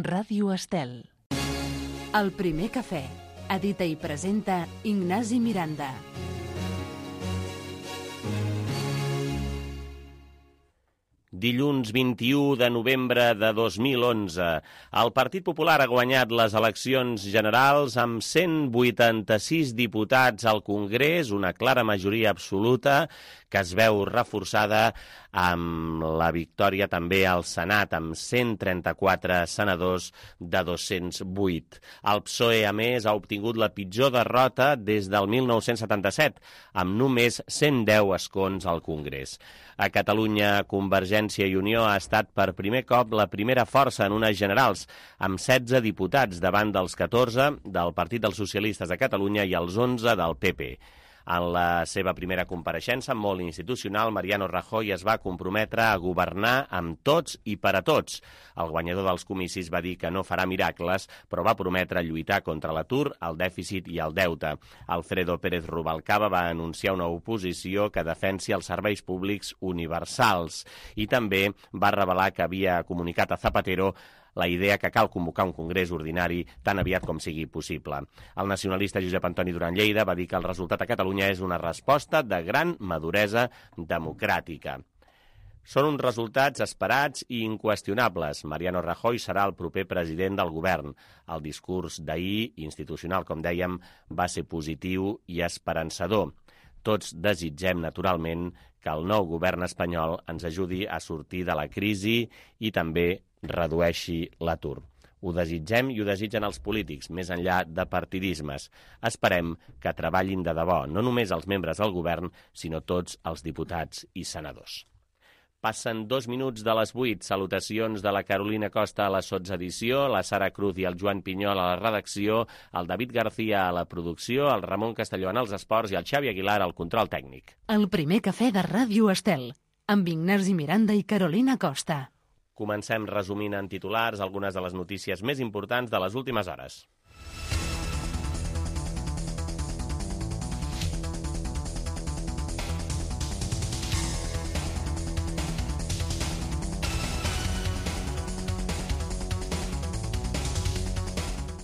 Ràdio Estel. El primer cafè. Edita i presenta Ignasi Miranda. Dilluns 21 de novembre de 2011. El Partit Popular ha guanyat les eleccions generals amb 186 diputats al Congrés, una clara majoria absoluta que es veu reforçada amb la victòria també al Senat, amb 134 senadors de 208. El PSOE, a més, ha obtingut la pitjor derrota des del 1977, amb només 110 escons al Congrés. A Catalunya, Convergència i Unió ha estat per primer cop la primera força en unes generals, amb 16 diputats davant dels 14 del Partit dels Socialistes de Catalunya i els 11 del PP. En la seva primera compareixença, molt institucional, Mariano Rajoy es va comprometre a governar amb tots i per a tots. El guanyador dels comicis va dir que no farà miracles, però va prometre lluitar contra l'atur, el dèficit i el deute. Alfredo Pérez Rubalcaba va anunciar una oposició que defensi els serveis públics universals i també va revelar que havia comunicat a Zapatero la idea que cal convocar un congrés ordinari tan aviat com sigui possible. El nacionalista Josep Antoni Duran Lleida va dir que el resultat a Catalunya és una resposta de gran maduresa democràtica. Són uns resultats esperats i inqüestionables. Mariano Rajoy serà el proper president del govern. El discurs d'ahir, institucional, com dèiem, va ser positiu i esperançador. Tots desitgem, naturalment, que el nou govern espanyol ens ajudi a sortir de la crisi i també redueixi l'atur. Ho desitgem i ho desitgen els polítics, més enllà de partidismes. Esperem que treballin de debò, no només els membres del govern, sinó tots els diputats i senadors. Passen 2 minuts de les 8. Salutacions de la Carolina Costa a la sotsedició, la Sara Cruz i el Joan Pinyol a la redacció, el David García a la producció, el Ramon Castelló en els esports i el Xavi Aguilar al control tècnic. El primer cafè de Ràdio Estel, amb Ignasi Miranda i Carolina Costa. Comencem resumint en titulars algunes de les notícies més importants de les últimes hores.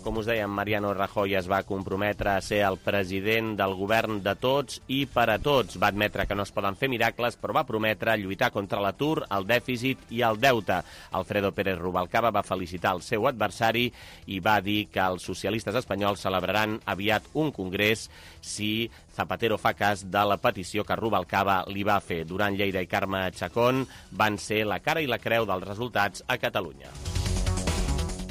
Com us dèiem, Mariano Rajoy es va comprometre a ser el president del govern de tots i per a tots. Va admetre que no es poden fer miracles, però va prometre lluitar contra l'atur, el dèficit i el deute. Alfredo Pérez Rubalcaba va felicitar el seu adversari i va dir que els socialistes espanyols celebraran aviat un congrés si Zapatero fa cas de la petició que Rubalcaba li va fer. Duran Lleida i Carme Chacón van ser la cara i la creu dels resultats a Catalunya.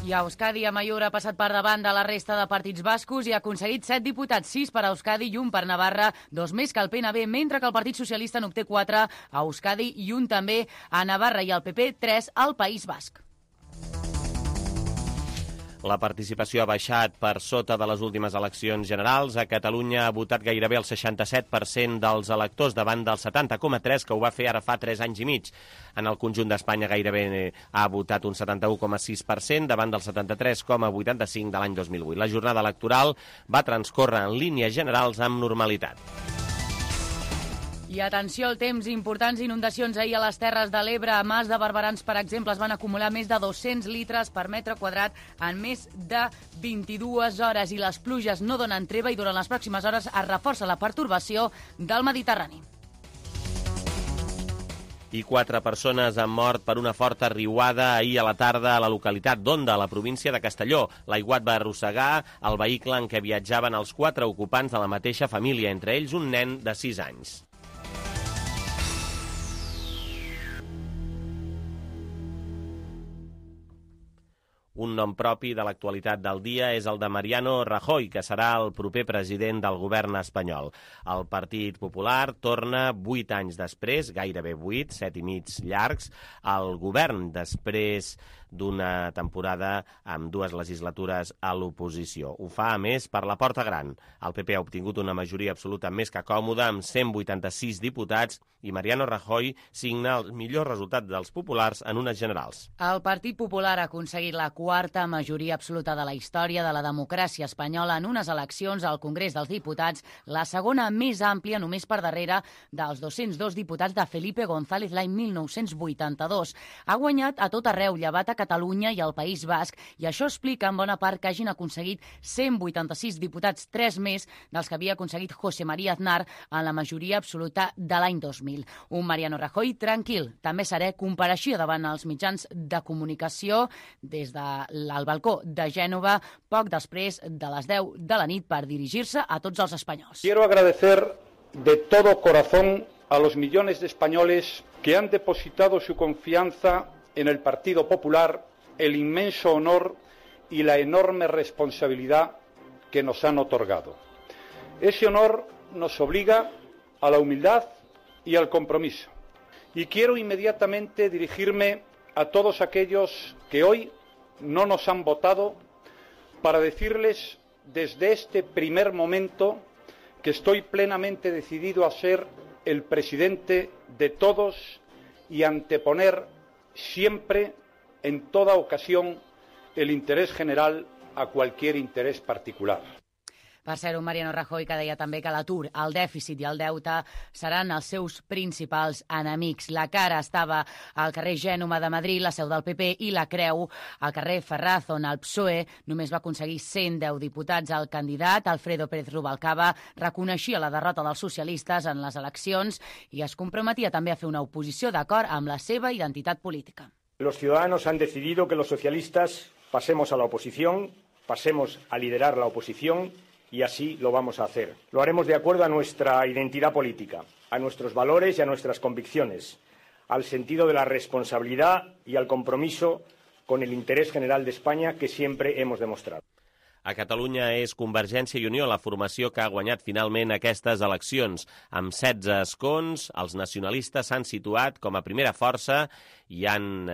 I a Euskadi, Amaiur ha passat per davant de la resta de partits bascos i ha aconseguit 7 diputats, 6 per a Euskadi i 1 per Navarra, 2 més que el PNB, mentre que el Partit Socialista n'obté 4 a Euskadi i 1 també a Navarra i el PP 3 al País Basc. La participació ha baixat per sota de les últimes eleccions generals. A Catalunya ha votat gairebé el 67% dels electors davant del 70,3% que ho va fer ara fa 3 anys i mig. En el conjunt d'Espanya gairebé ha votat un 71,6% davant del 73,85% de l'any 2008. La jornada electoral va transcórrer en línies generals amb normalitat. I atenció al temps, importants inundacions ahir a les Terres de l'Ebre. A Mas de Barberans, per exemple, es van acumular més de 200 litres per metre quadrat en més de 22 hores. I les pluges no donen treva i durant les pròximes hores es reforça la pertorbació del Mediterrani. I 4 persones han mort per una forta riuada ahir a la tarda a la localitat d'Onda, a la província de Castelló. L'aiguat va arrossegar el vehicle en què viatjaven els 4 ocupants de la mateixa família, entre ells un nen de 6 anys. Un nom propi de l'actualitat del dia és el de Mariano Rajoy, que serà el proper president del govern espanyol. El Partit Popular torna 8 anys després, gairebé 8, 7 i mig llargs, al govern després d'una temporada amb 2 legislatures a l'oposició. Ho fa, a més, per la porta gran. El PP ha obtingut una majoria absoluta més que còmoda, amb 186 diputats, i Mariano Rajoy signa el millor resultat dels populars en unes generals. El Partit Popular ha aconseguit la 4ª majoria absoluta de la història de la democràcia espanyola en unes eleccions al Congrés dels Diputats, la segona més àmplia només per darrere dels 202 diputats de Felipe González l'any 1982. Ha guanyat a tot arreu, llevat a Catalunya i el País Basc, i això explica en bona part que hagin aconseguit 186 diputats, 3 més dels que havia aconseguit José María Aznar en la majoria absoluta de l'any 2000. Un Mariano Rajoy tranquil. També Saré compareixia davant els mitjans de comunicació des del balcó de Gènova poc després de les 10 de la nit per dirigir-se a tots els espanyols. Quiero agradecer de todo corazón a los millones de españoles que han depositado su confianza en el Partido Popular, el inmenso honor y la enorme responsabilidad que nos han otorgado. Ese honor nos obliga a la humildad y al compromiso. Y quiero inmediatamente dirigirme a todos aquellos que hoy no nos han votado para decirles desde este primer momento que estoy plenamente decidido a ser el presidente de todos y anteponer siempre, en toda ocasión, el interés general a cualquier interés particular. Per ser un Mariano Rajoy que deia també que l'atur, el dèficit i el deute seran els seus principals enemics. La cara estava al carrer Gènova de Madrid, la seu del PP, i la Creu al carrer Ferraz, on el PSOE només va aconseguir 110 diputats. El candidat, Alfredo Pérez Rubalcaba, reconeixia la derrota dels socialistes en les eleccions i es comprometia també a fer una oposició d'acord amb la seva identitat política. Los ciudadanos han decidido que los socialistas pasemos a la oposición, pasemos a liderar la oposición, y así lo vamos a hacer. Lo haremos de acuerdo a nuestra identidad política, a nuestros valores y a nuestras convicciones, al sentido de la responsabilidad y al compromiso con el interés general de España que siempre hemos demostrado. A Catalunya és Convergència i Unió la formació que ha guanyat finalment aquestes eleccions. Amb 16 escons, els nacionalistes s'han situat com a primera força i han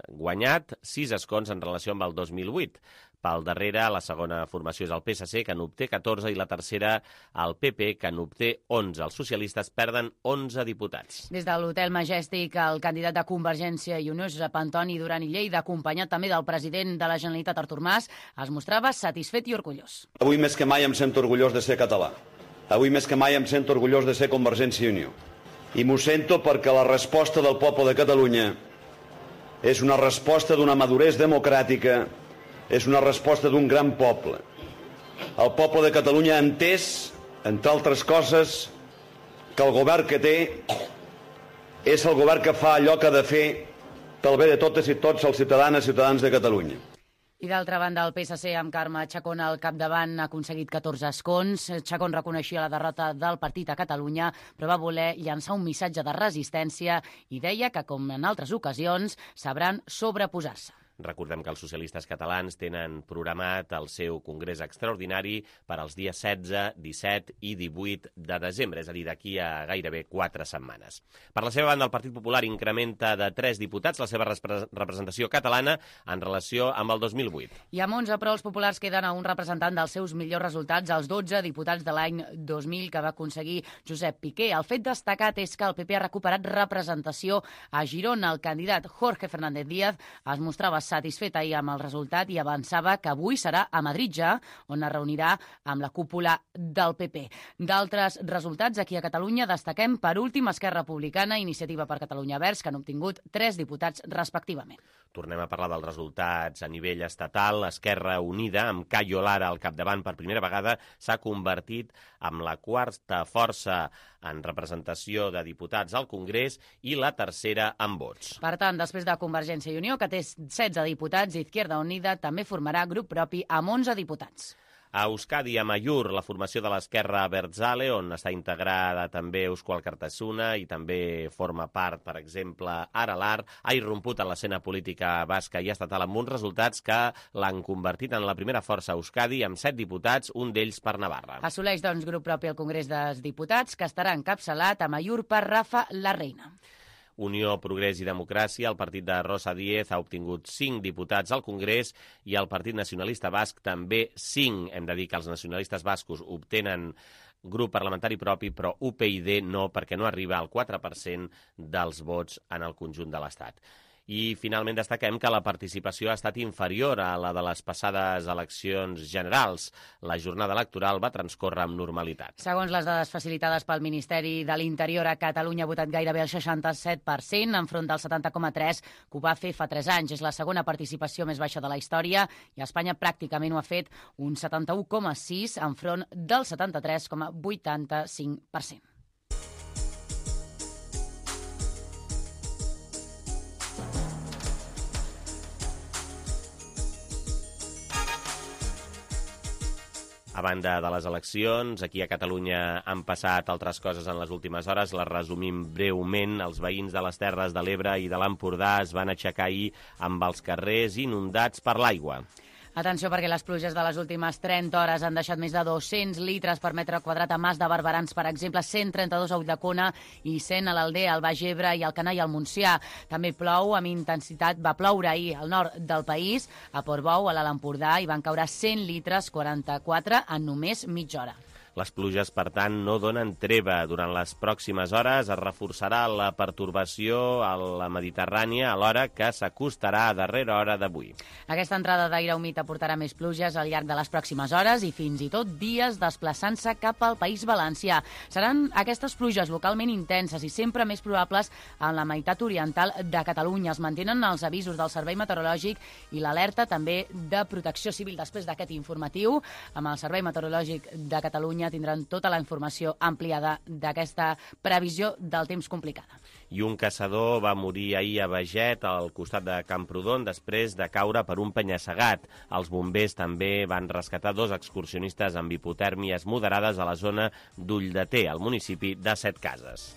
guanyat 6 escons en relació amb el 2008. Pel darrere, la segona formació és el PSC, que n'obté 14, i la tercera, el PP, que n'obté 11. Els socialistes perden 11 diputats. Des de l'Hotel Majestic, el candidat de Convergència i Unió, Josep Antoni Duran i Lleida, acompanyat també del president de la Generalitat, Artur Mas, es mostrava satisfet i orgullós. Avui més que mai em sento orgullós de ser català. Avui més que mai em sento orgullós de ser Convergència i Unió. I m'ho sento perquè la resposta del poble de Catalunya és una resposta d'una maduresa democràtica, és una resposta d'un gran poble. El poble de Catalunya ha entès, entre altres coses, que el govern que té és el govern que fa allò que ha de fer pel bé de totes i tots els ciutadans i ciutadans de Catalunya. I d'altra banda, el PSC, amb Carme Chacón al capdavant, ha aconseguit 14 escons. Chacón reconeixia la derrota del partit a Catalunya, però va voler llançar un missatge de resistència i deia que, com en altres ocasions, sabran sobreposar-se. Recordem que els socialistes catalans tenen programat el seu congrés extraordinari per als dies 16, 17 i 18 de desembre, és a dir, d'aquí a gairebé 4 setmanes. Per la seva banda, el Partit Popular incrementa de 3 diputats la seva representació catalana en relació amb el 2008. I amb 11, però, els populars queden a un representant dels seus millors resultats, els 12 diputats de l'any 2000 que va aconseguir Josep Piqué. El fet destacat és que el PP ha recuperat representació a Girona. El candidat Jorge Fernández Díaz es mostrava satisfet ahir amb el resultat i avançava que avui serà a Madrid ja, on es reunirà amb la cúpula del PP. D'altres resultats aquí a Catalunya destaquem per últim Esquerra Republicana i Iniciativa per Catalunya Verds, que han obtingut 3 diputats respectivament. Tornem a parlar dels resultats a nivell estatal. Esquerra Unida, amb Cayo Lara al capdavant per primera vegada, s'ha convertit en la quarta força en representació de diputats al Congrés i la tercera en vots. Per tant, després de Convergència i Unió, que té 16 diputats, Izquierda Unida també formarà grup propi amb 11 diputats. A Euskadi, a Amaiur, la formació de l'Esquerra Abertzale, on està integrada també Eusko Alkartasuna i també forma part, per exemple, Aralar, ha irromput en l'escena política basca i estatal amb uns resultats que l'han convertit en la primera força a Euskadi amb 7 diputats, un d'ells per Navarra. Assoleix, doncs, grup propi al Congrés dels Diputats, que estarà encapçalat a Amaiur per Rafa Larreina. Unió, Progrés i Democràcia, el partit de Rosa Díez ha obtingut 5 diputats al Congrés i el Partit Nacionalista Basc també 5. Hem de dir que els nacionalistes bascos obtenen grup parlamentari propi, però UPyD no, perquè no arriba al 4% dels vots en el conjunt de l'Estat. I finalment destaquem que la participació ha estat inferior a la de les passades eleccions generals. La jornada electoral va transcórrer amb normalitat. Segons les dades facilitades pel Ministeri de l'Interior, a Catalunya ha votat gairebé el 67%, enfront del 70,3% que ho va fer fa 3 anys. És la segona participació més baixa de la història i Espanya pràcticament ho ha fet un 71,6% enfront del 73,85%. A banda de les eleccions, aquí a Catalunya han passat altres coses en les últimes hores. Les resumim breument. Els veïns de les Terres de l'Ebre i de l'Empordà es van aixecar ahir amb els carrers inundats per l'aigua. Atenció, perquè les pluges de les últimes 30 hores han deixat més de 200 litres per metre quadrat a Mas de Barberans, per exemple, 132 a Ulldecona i 100 a l'Aldea, al Baix Ebre i al Canà i al Montsià. També plou amb intensitat. Va ploure ahir al nord del país, a Portbou, a l'Alt Empordà, i van caure 100 litres, 44 en només mitja hora. Les pluges, per tant, no donen treva. Durant les pròximes hores es reforçarà la pertorbació a la Mediterrània, alhora que s'acostarà a darrera hora d'avui. Aquesta entrada d'aire humit aportarà més pluges al llarg de les pròximes hores i fins i tot dies desplaçant-se cap al País Valencià. Seran aquestes pluges localment intenses i sempre més probables en la meitat oriental de Catalunya. Es mantenen els avisos del Servei Meteorològic i l'alerta també de Protecció Civil. Després d'aquest informatiu, amb el Servei Meteorològic de Catalunya tindran tota la informació ampliada d'aquesta previsió del temps complicada. I un caçador va morir ahir a Beget, al costat de Camprodon, després de caure per un penya-segat. Els bombers també van rescatar 2 excursionistes amb hipotèrmies moderades a la zona d'Ulldeter, al municipi de Setcases.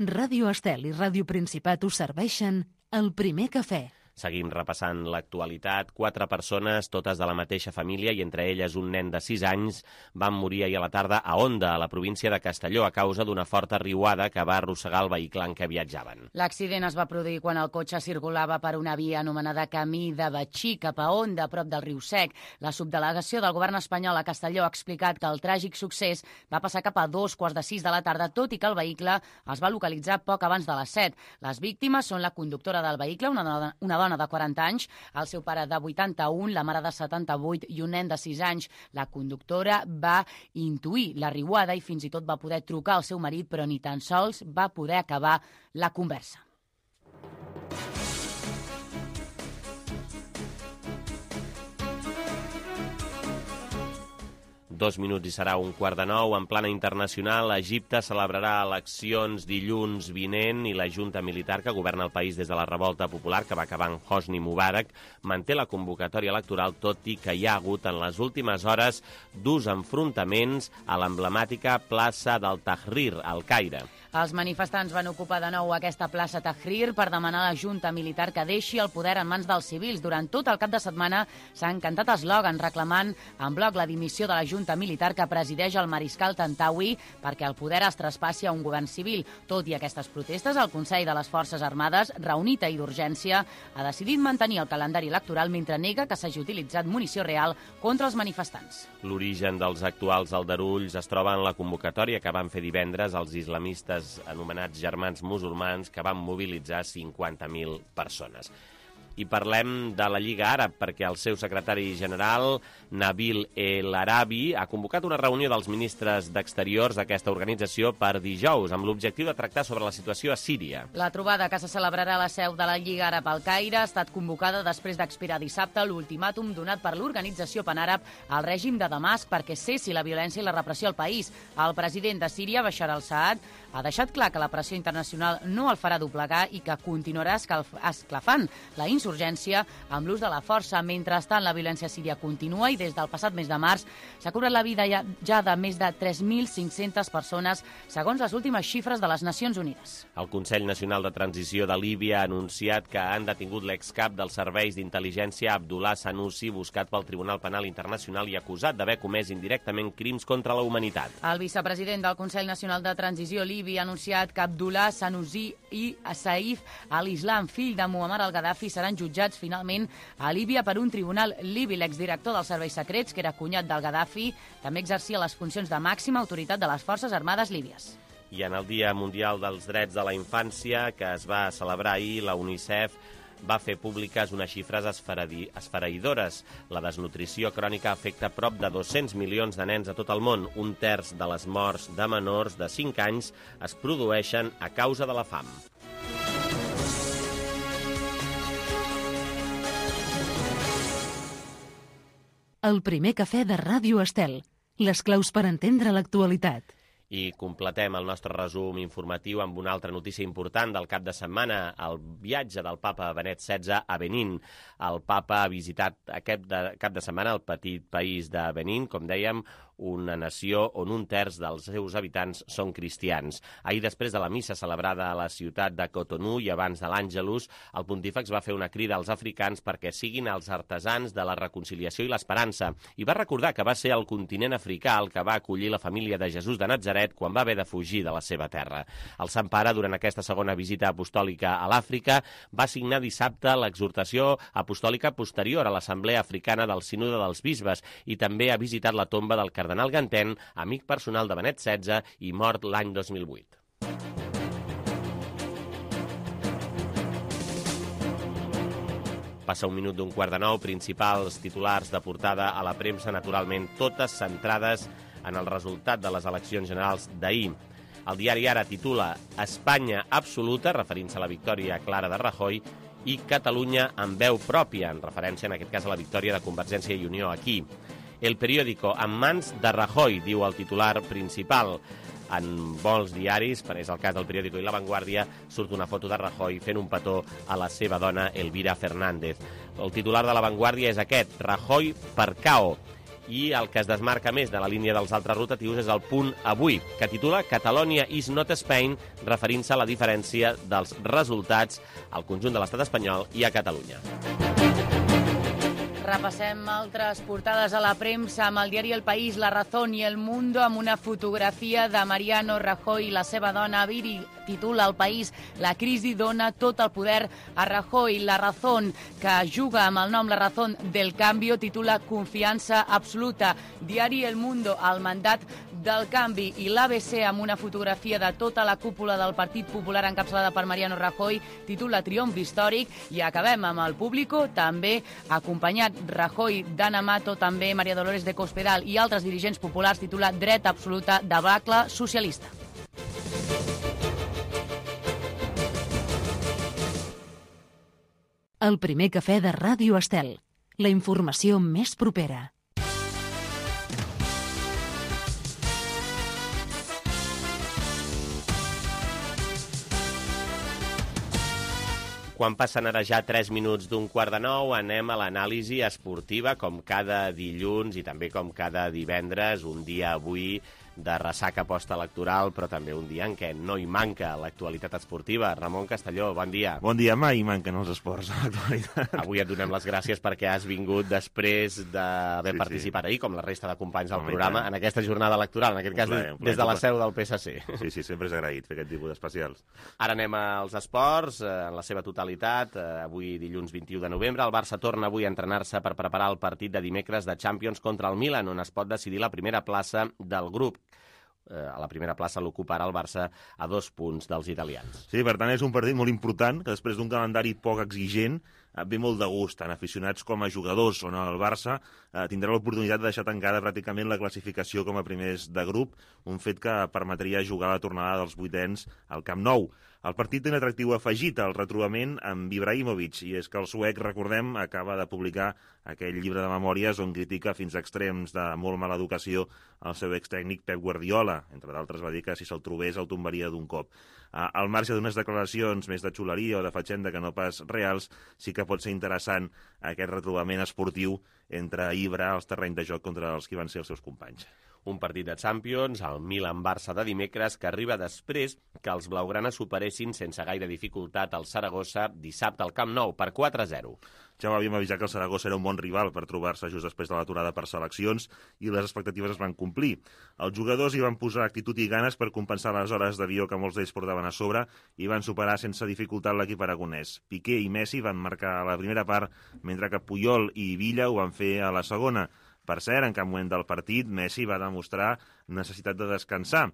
Ràdio Estel i Ràdio Principat us serveixen el primer cafè. Seguim repassant l'actualitat. 4 persones, totes de la mateixa família, i entre elles un nen de 6 anys, van morir ahir a la tarda a Onda, a la província de Castelló, a causa d'una forta riuada que va arrossegar el vehicle en què viatjaven. L'accident es va produir quan el cotxe circulava per una via anomenada Camí de Betxí, cap a Onda, a prop del riu Sec. La subdelegació del govern espanyol a Castelló ha explicat que el tràgic succés va passar cap a 2:45 de la tarda, tot i que el vehicle es va localitzar poc abans de les 7. Les víctimes són la conductora del vehicle, una dona de 40 anys, el seu pare de 81, la mare de 78 i un nen de 6 anys. La conductora va intuir la riuada i fins i tot va poder trucar al seu marit, però ni tan sols va poder acabar la conversa. Dos minuts i serà 8:45. En plana internacional, Egipte celebrarà eleccions dilluns vinent i la junta militar que governa el país des de la revolta popular que va acabar amb Hosni Mubarak manté la convocatòria electoral, tot i que hi ha hagut en les últimes hores durs enfrontaments a l'emblemàtica plaça del Tahrir, al Caire. Els manifestants van ocupar de nou aquesta plaça Tahrir per demanar a la junta militar que deixi el poder en mans dels civils. Durant tot el cap de setmana s'han cantat eslògans reclamant en bloc la dimissió de la junta militar que presideix el mariscal Tantawi perquè el poder es traspassi a un govern civil. Tot i aquestes protestes, el Consell de les Forces Armades, reunit ahir d'urgència, ha decidit mantenir el calendari electoral mentre nega que s'hagi utilitzat munició real contra els manifestants. L'origen dels actuals aldarulls es troba en la convocatòria que van fer divendres els islamistes anomenats germans musulmans, que van mobilitzar 50.000 persones. I parlem de la Lliga Àrab, perquè el seu secretari general, Nabil El Arabi, ha convocat una reunió dels ministres d'Exteriors d'aquesta organització per dijous, amb l'objectiu de tractar sobre la situació a Síria. La trobada, que se celebrarà a la seu de la Lliga Àrab al Caire, ha estat convocada després d'expirar dissabte l'ultimàtum donat per l'organització panàrab al règim de Damasc perquè cessi la violència i la repressió al país. El president de Síria, Bashar al-Assad, ha deixat clar que la pressió internacional no el farà doblegar i que continuarà esclafant la insurgència amb l'ús de la força. Mentrestant, la violència a Síria continua i des del passat mes de març s'ha cobrat la vida ja de més de 3.500 persones, segons les últimes xifres de les Nacions Unides. El Consell Nacional de Transició de Líbia ha anunciat que han detingut l'excap dels serveis d'intel·ligència Abdullah Sanusi, buscat pel Tribunal Penal Internacional i acusat d'haver comès indirectament crims contra la humanitat. El vicepresident del Consell Nacional de Transició Líbia ha anunciat que Abdullah Sanusi i Saif al-Islam, fill de Muammar al-Gaddafi, seran seran jutjats finalment a Líbia per un tribunal libi. L'exdirector dels serveis secrets, que era cunyat del Gaddafi, també exercia les funcions de màxima autoritat de les Forces Armades líbies. I en el Dia Mundial dels Drets de la Infància, que es va celebrar ahir, la UNICEF va fer públiques unes xifres esfereïdores. La desnutrició crònica afecta prop de 200 milions de nens a tot el món. Un terç de les morts de menors de 5 anys es produeixen a causa de la fam. El primer cafè de Ràdio Estel. Les claus per entendre l'actualitat. I completem el nostre resum informatiu amb una altra notícia important del cap de setmana, el viatge del papa Benet XVI a Benín. El papa ha visitat aquest cap de setmana el petit país de Benín, com dèiem, una nació on un terç dels seus habitants són cristians. Ahir, després de la missa celebrada a la ciutat de Cotonou i abans de l'Àngelus, el pontífex va fer una crida als africans perquè siguin els artesans de la reconciliació i l'esperança, i va recordar que va ser el continent africà el que va acollir la família de Jesús de Natzaret quan va haver de fugir de la seva terra. El Sant Pare, durant aquesta segona visita apostòlica a l'Àfrica, va signar dissabte l'exhortació apostòlica posterior a l'Assemblea Africana del Sínode dels Bisbes i també ha visitat la tomba del cardenal Ganten, amic personal de Benet XVI i mort l'any 2008. Passa un minut d'un quart de nou, principals titulars de portada a la premsa, naturalment totes centrades en el resultat de les eleccions generals d'ahir. El diari Ara titula Espanya absoluta, referint-se a la victòria clara de Rajoy, i Catalunya amb veu pròpia, en referència en aquest cas a la victòria de Convergència i Unió aquí. El periòdico en mans de Rajoy, diu el titular principal. En molts diaris, és el cas del periòdico i La Vanguardia, surt una foto de Rajoy fent un petó a la seva dona, Elvira Fernández. El titular de La Vanguardia és aquest, Rajoy per KO. I el que es desmarca més de la línia dels altres rotatius és el Punt Avui, que titula Catalonia is not Spain, referint-se a la diferència dels resultats al conjunt de l'estat espanyol i a Catalunya. Repassem altres portades a la premsa amb el diari El País, La Razón i El Mundo, amb una fotografia de Mariano Rajoy i la seva dona Viri. Titula El País, la crisi dona tot el poder a Rajoy. La Razón, que juga amb el nom La Razón del Cambio, titula Confiança absoluta. Diari El Mundo, el mandat del canvi, i l'ABC, amb una fotografia de tota la cúpula del Partit Popular encapçalada per Mariano Rajoy, titula Triomf històric. I acabem amb el Público, també acompanyat Rajoy, Dana Mato, també Maria Dolores de Cospedal i altres dirigents populars, titula Dret absoluta de debacle socialista. El primer cafè de Ràdio Estel. La informació més propera. Quan passen ara ja 3 minuts d'un quart de nou, anem a l'anàlisi esportiva, com cada dilluns i també com cada divendres, un dia avui de ressaca postelectoral, però també un dia en què no hi manca l'actualitat esportiva. Ramon Castelló, bon dia. Bon dia, mai manquen els esports a l'actualitat. Avui et donem les gràcies perquè has vingut després d'haver participat ahir, com la resta de companys del programa, en aquesta jornada electoral, en aquest cas des de la seu del PSC. Sí, sempre és agraït fer aquest tipus d'especials. Ara anem als esports, en la seva totalitat. Avui, dilluns 21 de novembre, el Barça torna avui a entrenar-se per preparar el partit de dimecres de Champions contra el Milan, on es pot decidir la primera plaça del grup. A la primera plaça l'ocuparà el Barça a 2 punts dels italians. Sí, per tant, és un partit molt important, que després d'un calendari poc exigent ve molt de gust, tant aficionats com a jugadors, on el Barça tindrà l'oportunitat de deixar tancada pràcticament la classificació com a primers de grup, un fet que permetria jugar la tornada dels vuitens al Camp Nou. El partit té un atractiu afegit, el retrobament amb Ibrahimovic, i és que el suec, recordem, acaba de publicar aquell llibre de memòries on critica fins a extrems de molt mala educació el seu extècnic Pep Guardiola. Entre d'altres va dir que si se'l trobés el tombaria d'un cop. Al marge d'unes declaracions més de xuleria o de fatxenda que no pas reals, sí que pot ser interessant aquest retrobament esportiu entre Ibra als terrenys de joc contra els que van ser els seus companys. Un partit de Champions, el Milan-Barça de dimecres, que arriba després que els blaugranes superessin sense gaire dificultat el Saragossa dissabte al Camp Nou per 4-0. Ja ho havíem avisat que el Saragossa era un bon rival per trobar-se just després de l'aturada per seleccions i les expectatives es van complir. Els jugadors hi van posar actitud i ganes per compensar les hores d'avió que molts d'ells portaven a sobre i van superar sense dificultat l'equip aragonès. Piqué i Messi van marcar a la primera part, mentre que Puyol i Villa ho van fer a la segona. Per cert, en cap moment del partit, Messi va demostrar necessitat de descansar.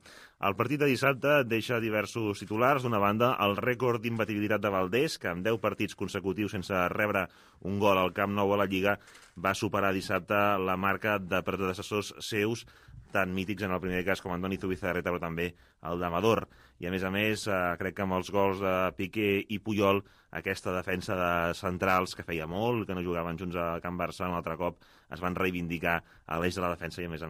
El partit de dissabte deixa diversos titulars. D'una banda, el rècord d'imbatibilitat de Valdés, que amb 10 partits consecutius sense rebre un gol al Camp Nou a la Lliga, va superar dissabte la marca de predecessors seus, tan mítics en el primer cas com Andoni Zubizarreta, però també el d'Amador. I a més, crec que amb els gols de Piqué i Puyol, aquesta defensa de centrals que feia molt, que no jugaven junts a Can Barça, un altre cop es van reivindicar a l'eix de la defensa i, a més,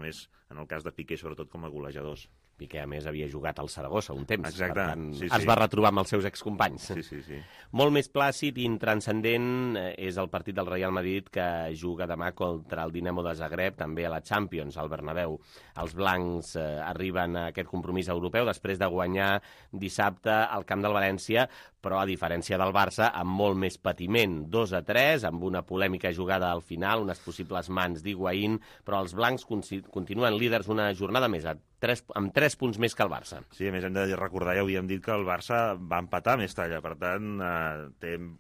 en el cas de Piqué, sobretot com a golejadors. Piqué, a més, havia jugat al Saragossa un temps. Exacte. Per tant, sí. es va retrobar amb els seus excompanys. Sí. Molt més plàcid i intranscendent és el partit del Real Madrid que juga demà contra el Dinamo de Zagreb, també a la Champions, al Bernabéu. Els blancs arriben a aquest compromís europeu després de guanyar dissabte al camp del València, però a diferència del Barça, amb molt més patiment. 2-3, amb una polèmica jugada al final, unes possibles mans d'Higuaín, però els blancs continuen líders una jornada més, amb 3 punts més que el Barça. Sí, a més hem de recordar, ja havíem dit que el Barça va empatar a Mestalla, per tant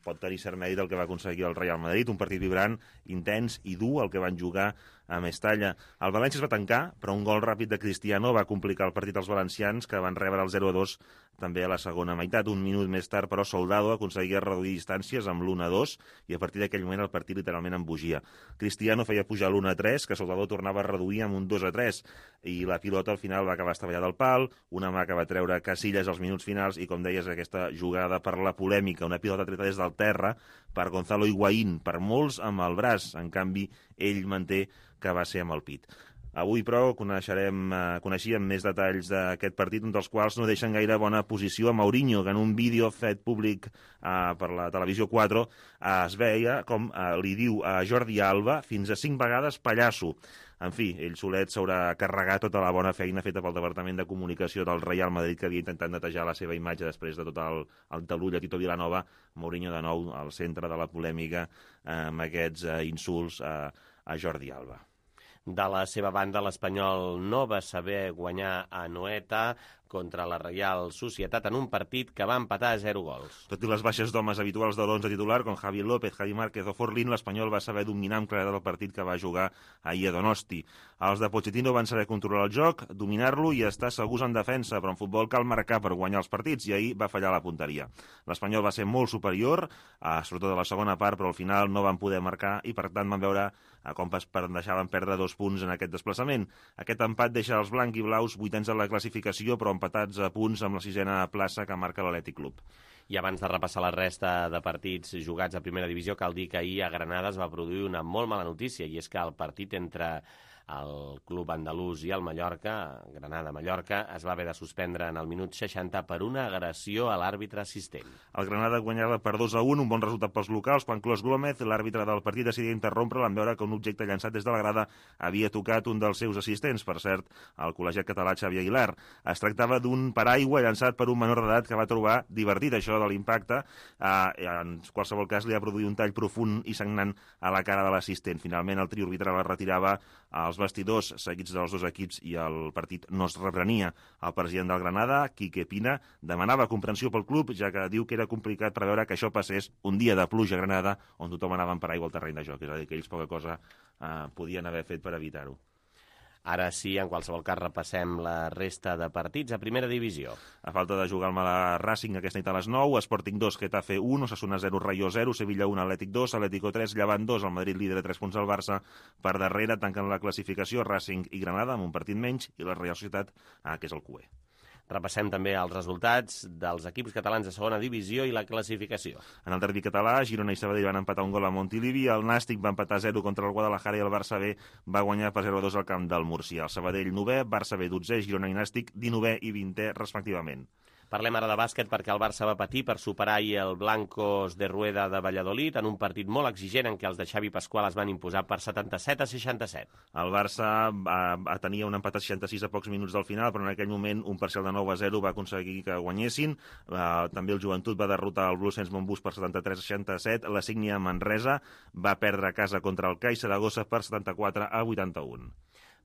pot tenir cert mèrit el que va aconseguir el Real Madrid, un partit vibrant, intens i dur el que van jugar a Mestalla. El València es va tancar, però un gol ràpid de Cristiano va complicar el partit als valencians, que van rebre el 0-2 també a la segona meitat. Un minut més tard, però, Soldado aconseguia reduir distàncies amb l'1-2 i a partir d'aquell moment el partit literalment embogia. Cristiano feia pujar l'1-3, que Soldado tornava a reduir amb un 2-3 i la pilota al final va acabar estavellada al pal, una mà que va treure Casillas als minuts finals i, com deies, aquesta jugada per la polèmica, una pilota treta des del terra per Gonzalo Higuaín, per molts amb el braç, en canvi ell manté que va ser amb el pit. Avui, però, coneixíem més detalls d'aquest partit, un dels quals no deixen gaire bona posició a Mourinho, que en un vídeo fet públic per la Televisió 4 es veia com li diu a Jordi Alba fins a 5 vegades pallasso. En fi, ell solet s'haurà carregat tota la bona feina feta pel Departament de Comunicació del Real Madrid, que havia intentat netejar la seva imatge després de tot el talull a Tito Vilanova. Mourinho, de nou, al centre de la polèmica amb aquests insults a Jordi Alba. De la seva banda, l'Espanyol no va saber guanyar a Anoeta contra la Reial Societat en un partit que va empatar a 0 gols. Tot i les baixes d'homes habituals de l'11 titular, com Javi López, Javi Márquez o Forlín, l'Espanyol va saber dominar amb claredat el partit que va jugar ahir a Donosti. Els de Pochettino van saber controlar el joc, dominar-lo i estar segurs en defensa, però en futbol cal marcar per guanyar els partits, i ahir va fallar la punteria. L'Espanyol va ser molt superior, sobretot a la segona part, però al final no van poder marcar i, per tant, van veure com deixaven perdre 2 punts en aquest desplaçament. Aquest empat deixa els blanc i blaus 8ens en la classificació, però empatats a punts amb la 6a plaça que marca l'Atlètic Club. I abans de repassar la resta de partits jugats a primera divisió, cal dir que ahir a Granada es va produir una molt mala notícia, i és que el partit entre el club andalús i el Mallorca, Granada-Mallorca, es va haver de suspendre en el minut 60 per una agressió a l'àrbitre assistent. El Granada guanyava per 2-1, un bon resultat pels locals, quan Clos Gómez, l'àrbitre del partit, decidia interrompre'l en veure que un objecte llançat des de la grada havia tocat un dels seus assistents, per cert, el col·legiat català Xavi Aguilar. Es tractava d'un paraigua llançat per un menor d'edat que va trobar divertit això de l'impacte. En qualsevol cas, li ha produït un tall profund i sagnant a la cara de l'assistent. Finalment, el trio arbitral es retirava als vestidors seguits dels dos equips i el partit no es reprenia. El president del Granada, Quique Pina, demanava comprensió pel club, ja que diu que era complicat preveure que això passés un dia de pluja a Granada, on tothom anava en paraigua al terreny de joc. És a dir, que ells poca cosa podien haver fet per evitar-ho. Ara sí, en qualsevol cas, repassem la resta de partits a primera divisió. A falta de jugar al Mala Racing aquesta nit a les 9, Sporting 2, Getafe 1, Osasuna 0, Rayo 0, Sevilla 1, Atlètic 2, Atlético 3, Llevant 2, el Madrid líder a 3 punts al Barça. Per darrere tanquen la classificació Racing i Granada amb un partit menys i la Real Societat, que és el QE. Repassem també els resultats dels equips catalans de segona divisió i la classificació. En el derbi català, Girona i Sabadell van empatar un gol a Montilivi, el Nàstic va empatar 0 contra el Guadalajara i el Barça B va guanyar per 0-2 al camp del Múrcia. El Sabadell 9è, Barça B 12è, Girona i Nàstic 19è i 20è respectivament. Parlem ara de bàsquet perquè el Barça va patir per superar ahir el Blancos de Rueda de Valladolid en un partit molt exigent en què els de Xavi Pascual es van imposar per 77-67. El Barça tenia un empat a 66 a pocs minuts del final, però en aquell moment un parcial de 9-0 va aconseguir que guanyessin. També el Joventut va derrotar el Bluesens Montbus per 73-67. La Sígnia Manresa va perdre a casa contra el CAI Saragossa per 74-81.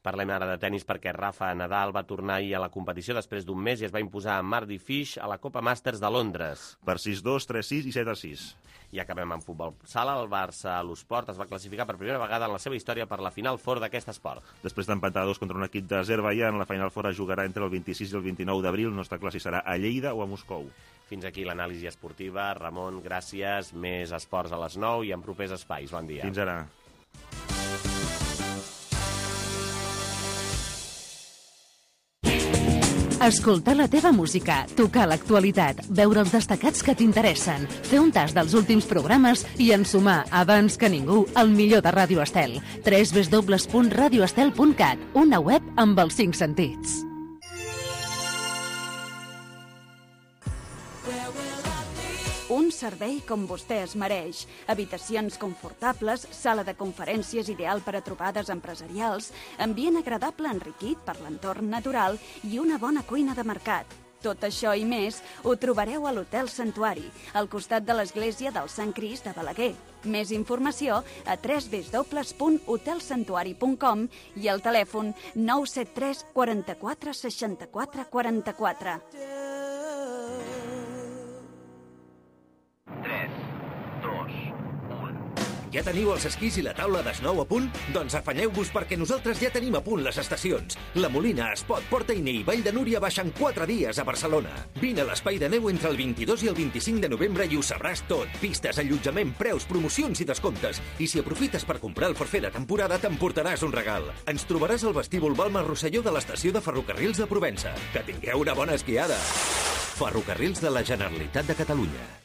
Parlem ara de tenis perquè Rafa Nadal va tornar ahir a la competició després d'un mes i es va imposar a Mardy Fish a la Copa Masters de Londres. Per 6-2, 3-6 i 7-6. I acabem amb futbol sala. El Barça a l'Esport es va classificar per primera vegada en la seva història per la Final Four d'aquest esport. Després d'empatar 2 contra un equip d'Azerbaidjan, la Final Four es jugarà entre el 26 i el 29 d'abril. No està clar si serà a Lleida o a Moscou. Fins aquí l'anàlisi esportiva. Ramon, gràcies. Més esports a les 9 i en propers espais. Bon dia. Fins ara. Escoltar la teva música, tocar l'actualitat, veure els destacats que t'interessen, fer un tas dels últims programes i ensumar, abans que ningú, el millor de Ràdio Estel. www.radioestel.cat, una web amb els 5 sentits. Un servei com vostè es mereix. Habitacions confortables, sala de conferències ideal per a trobades empresarials, ambient agradable enriquit per l'entorn natural i una bona cuina de mercat. Tot això i més ho trobareu a l'Hotel Santuari, al costat de l'església del Sant Crist de Balaguer. Més informació a www.hotelsantuari.com i al telèfon 973 44 64 44. Ja teniu els esquís i la taula d'esnou a punt? Doncs afanyeu-vos perquè nosaltres ja tenim a punt les estacions. La Molina, Espot, Port Ainé i Vall de Núria baixen 4 dies a Barcelona. Vine a l'Espai de Neu entre el 22 i el 25 de novembre i ho sabràs tot. Pistes, allotjament, preus, promocions i descomptes. I si aprofites per comprar el forfait de temporada, t'emportaràs un regal. Ens trobaràs al vestíbul Balma Rosselló de l'estació de Ferrocarrils de Provença. Que tingueu una bona esquiada. Ferrocarrils de la Generalitat de Catalunya.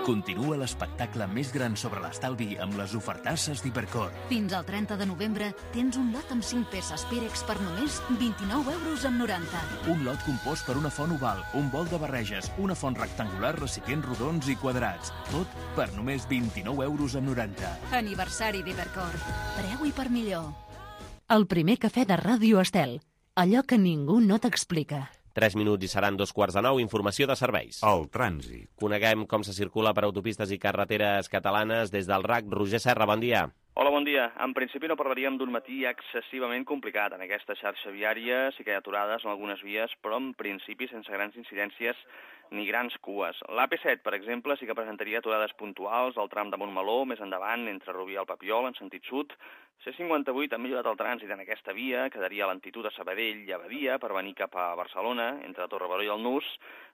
Continua l'espectacle més gran sobre l'estalvi amb les ofertasses d'Hipercor. Fins al 30 de novembre tens un lot amb 5 peces Pirex per només 29,90 €. Un lot compost per una font oval, un bol de barreges, una font rectangular, recipients rodons i quadrats. Tot per només 29,90 €. Aniversari d'Hipercor. Preu i per millor. El primer cafè de Ràdio Estel. Allò que ningú no t'explica. 3 minuts i seran 2:45. Informació de serveis. El trànsit. Coneguem com se circula per autopistes i carreteres catalanes des del RAC. Roger Serra, bon dia. Hola, bon dia. En principi no parlaríem d'un matí excessivament complicat. En aquesta xarxa viària sí que hi ha aturades en algunes vies, però en principi sense grans incidències ni grans cues. L'AP7, per exemple, sí que presentaria aturades puntuals al tram de Montmeló, més endavant, entre Rubí i el Papiol, en sentit sud. C58 ha millorat el trànsit en aquesta via, quedaria a lentitud a Sabadell i a Badia per venir cap a Barcelona, entre Torrebaró i el Nus.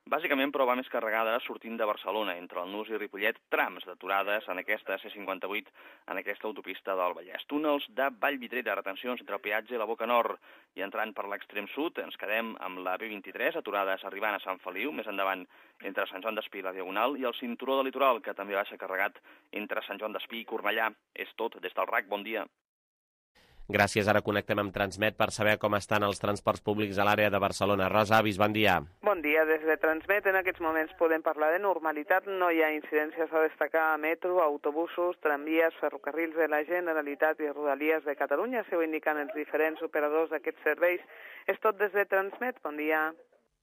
Bàsicament, però, va més carregada sortint de Barcelona, entre el Nus i Ripollet, trams d'aturades en aquesta C58, en aquesta autopista del Vallès. Túnels de Vallvidrera, retencions entre el peatge i la Boca Nord. I entrant per l'extrem sud, ens quedem amb la B23, aturades arribant a Sant Feliu, més endavant entre Sant Joan d'Espí i la Diagonal, i el cinturó de litoral, que també baixa carregat entre Sant Joan d'Espí i Cornellà. És tot des del RAC. Bon dia. Gràcies. Ara connectem amb Transmet per saber com estan els transports públics a l'àrea de Barcelona. Rosa Avis, bon dia. Bon dia. Des de Transmet en aquests moments podem parlar de normalitat. No hi ha incidències a destacar a metro, autobusos, tramvies, ferrocarrils de la Generalitat i Rodalies de Catalunya. Això ho indiquen els diferents operadors d'aquests serveis. És tot des de Transmet. Bon dia.